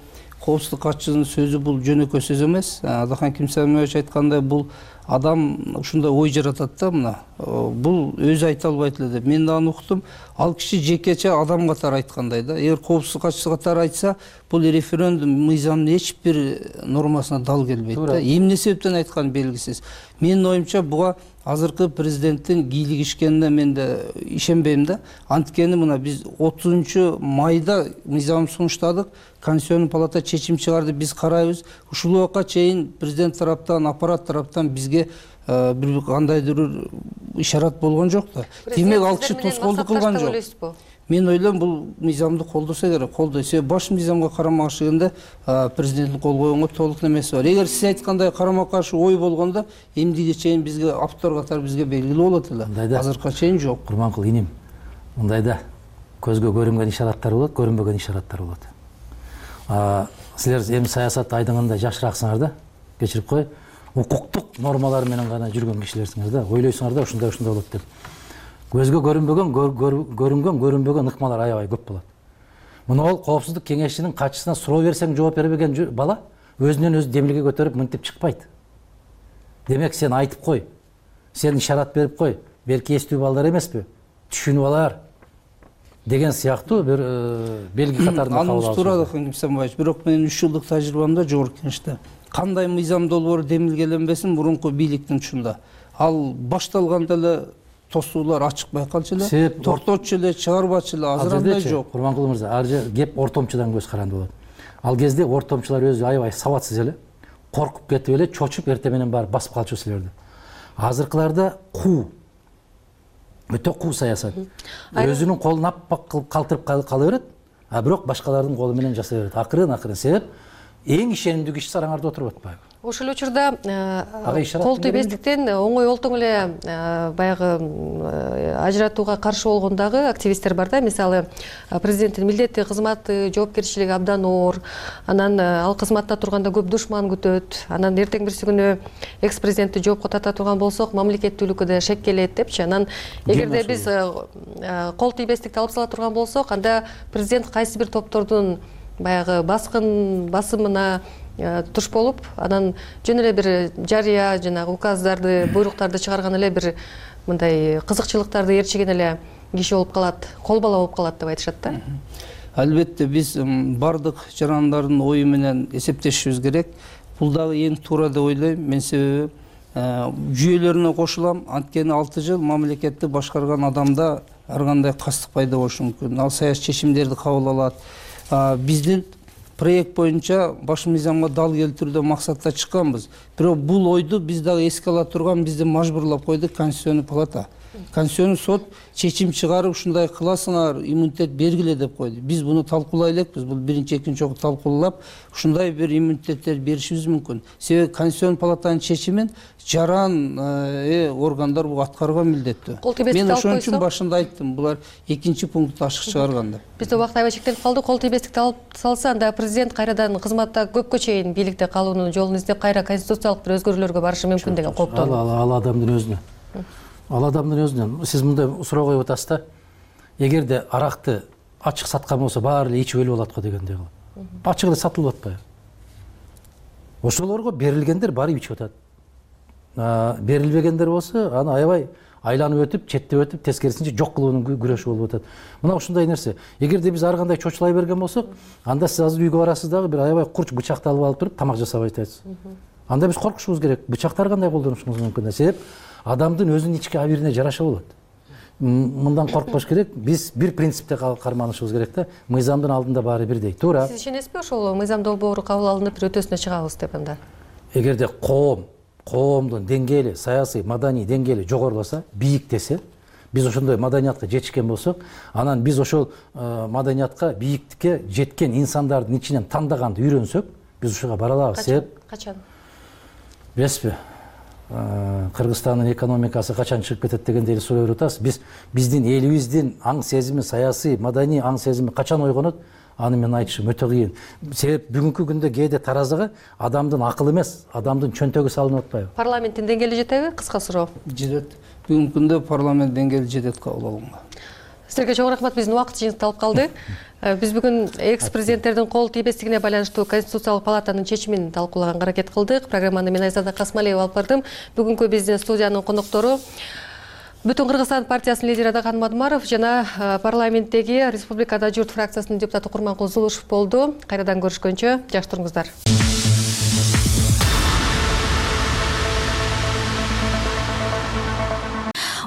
Коопсуздук катчысынын сөзү бул жөнөкөй сөз эмес. Адахан Кимсамиевич айткандай, бул адам ушундай ой жаратат да, мына. Бул өзү айта албайт эле деп. Мен да аны уктум. Ал киши жекече адам катары айткандай да. Эгер Коопсуздук катчысы катары айтса, бул референдум мыйзамдын эч бир нормасына дал келбейт да. Эмне себептен айтканы белгисиз. Менин оюмча буга азыркы президенттин кийлигишкенине мен да ишенбейм да. Анткени мына биз 30 майда мыйзам сунуштадык, Конституциялык палата чечим чыгарды, биз карайбыз. Ушул убакка чейин президент тараптан, аппарат тараптан бизге бир кандайдыр ишарат болгон жок да. Демек ал киши тоскоолдук кылган жок. Мен ойлойм, бул мыйзамды колдосо керек, колдойт. Себеби баш мыйзамга карама-каршы келгенде президенттин кол койгонго толук немеси бар. Эгер сиз айткандай карама-каршы ой болгондо, эмдиге чейин бизге автор катары бизге белгилүү болот эле. Азыркыга чейин жок. Курманкул иним, мындайда көзгө көрүнгөн ишараттар болот, көрүнбөгөн ишараттар болот. Силер эми саясат айдыңында жашыраксыңар да, кечирип кой. Укуктук нормалар менен гана жүргөн кишилерсиңер да, ойлойсуңар да ушундай болот деп. Көзгө көрүнбөгөн ыкмалар аябай көп болот. Муну ол Коопсуздук кеңешинин катчысына суроо берсең жооп бербеген бала өзүнөн өзү демилге көтөрүп мынтип чыкпайт. Демек сен айтып кой, сен ишарат берип кой. Белки эстүү балдар эмеспи? Түшүнүп алар. деген сыяктуу бир белги катарында кабыл алышат. Аныңыз туура Ким Самбаевич, бирок менин 3 жылдык тажрыйбамда жогорку кеңеште кандай мыйзам долбоору демилгеленбесин мурунку бийликтин учунда ал башталганда эле тосуулар ачык байкалчу эле, токтотчу эле, чыгарбачу эле, азыр андай жок. Курманкул мырза, ар жер кеп ортомчудан көз каранды болот. Ал кезде ортомчулар өзү аябай сабатсыз эле, коркуп кетип эле, чочуп эртең менен барып басып калчу силерди. Азыркыларда өтө куу саясат. Өзүнүн колун аппак кылып калтырып кала берет, а бирок башкалардын колу менен жасай берет. Акырын себеп эң ишенимдүү киши сараңарда отуруп атпайбы? Ошол учурда кол тийбестиктен оңой олтоң эле баягы ажыратууга каршы болгон дагы активисттер бар да. Мисалы, президенттин милдетти кызматы, жоопкерчилиги абдан оор. Анан ал кызматта турганда көп душман күтөт. Анан эртең бирси күнү экс-президентти жоопко тарта турган болсок, мамлекеттүүлүккө да шек келет депчи. Анан эгерде биз кол тийбестикти алып сала турган болсок, анда президент кайсы бир топтордун баягы басымына туш болуп, анан жөн эле бир жарыя жанагы указдарды, буйруктарды чыгарган эле бир мындай кызыкчылыктарды ээрчиген эле киши болуп калат, кол бала болуп калат деп айтышат да. Албетте биз бардык жарандардын ою менен эсептешибиз керек. Бул дагы эң туура деп ойлойм. Мен себеби жүйөлөрүнө кошулам. Анткени 6 жыл мамлекетти башкарган адамда ар кандай кастык пайда болушу мүмкүн. Ал саясий чечимдерди кабыл алат. Биздин проект боюнча баш мыйзамга дал келтирүүдө максатта чыкканбыз. Бирок бул ойду биз дагы эске ала турган, бизди мажбурлап койду Конституционный палата. Конституционный сот чечим чыгарып, ушундай кыласыңар, иммунитет бергиле деп койду. Биз буну талкуулай элекпиз. Бул биринчи, экинчи жолу талкуулап, ушундай бир иммунитеттер беришибиз мүмкүн. Себеби Конституционный палатанын чечимин жаран органдар бул аткарган милдеттүү. Мен ошон үчүн башында айттым, булар экинчи пунктты ачык чыгарган деп. Бизде убакыт аябай чектелип калды. Кол тийбестикти алып салса, анда президент кайрадан кызматта көпкө чейин бийликте калуунун жолун издеп, кайра конституциялык бир өзгөрүүлөргө барышы мүмкүн деген кооптон. Ал адамдын өзүнө. Ал адамдын өзүнөн. Сиз мындай суроо коюп атасыз да. Эгерде аракты ачык саткан болсо, баары эле ичип өлүп алат го дегендей кылып. Ачык эле сатылып атпайбы? Ошолорго берилгендер барып ичип атат. Берилбегендер болсо, аны аябай айланып өтүп, четтеп өтүп, тескерисинче жок кылуунун күрөшү болуп атат. Мына ушундай нерсе. Эгерде биз ар кандай чочулай берген болсок, анда сиз азыр үйгө барасыз дагы бир аябай курч бычакты алып туруп тамак жасап атасыз. Анда биз коркушубуз керек. Бычактар кандай колдонушубуз мүмкүн? Себеп адамдын өзүнүн ички абийирине жараша болот. Мындан коркпош керек. Биз бир принципте карманышыбыз керек да. Мыйзамдын алдында баары бирдей. Туура. Сиз ишенесизби ошол мыйзам долбоору кабыл алынып бир өтөсүнө чыгабыз деп анда? Эгерде коомдун деңгээли, саясий, маданий деңгээли жогоруласа, бийиктесе, биз ошондой маданиятка жетишкен болсок, анан биз ошол маданиятка, бийиктикке жеткен инсандардын ичинен тандаганды үйрөнсөк, биз ушуга бара алабыз. Качан? Билесизби? Кыргызстандын экономикасы качан чыгып кетет дегенде эле суроо берип атасыз. Биздин элибиздин аң сезими, саясий, маданий аң сезими качан ойгонот? Аны мен айтышым өтө кыйын. Себеп бүгүнкү күндө кээде таразыга адамдын акылы эмес, адамдын чөнтөгү салынып атпайбы? Парламенттин деңгээли жетеби? Кыска суроо. Жетет. Бүгүнкү күндө парламент деңгээли жетет кабыл алганга. Силерге чоң рахмат. Биздин убакыт жыйынтыкталып калды. Биз бүгүн экс-президенттердин кол тийбестигине байланыштуу Конституциялык палатанын чечимин талкуулаганга аракет кылдык. Программаны мен Айзада Касмалиева алып бардым. Бүгүнкү биздин студиянын коноктору Бүтүн Кыргызстан партиясынын лидери Адакан Мадумаров жана парламенттеги Республикада журт фракциясынын депутаты Курманкул Зулушев болду. Кайрадан көрүшкөнчө, жакшы туруңуздар.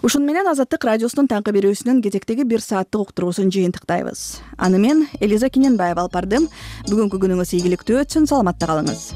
Ушун менен Азаттык радиосунун таңкы берүүсүнүн кезектеги 1 сааттык уктуруусун жыйынтыктайбыз. Аны мен Элиза Киненбаева алып бардым. Бүгүнкү күнүңүз ийгиликтүү өтсүн, саламатта калыңыз.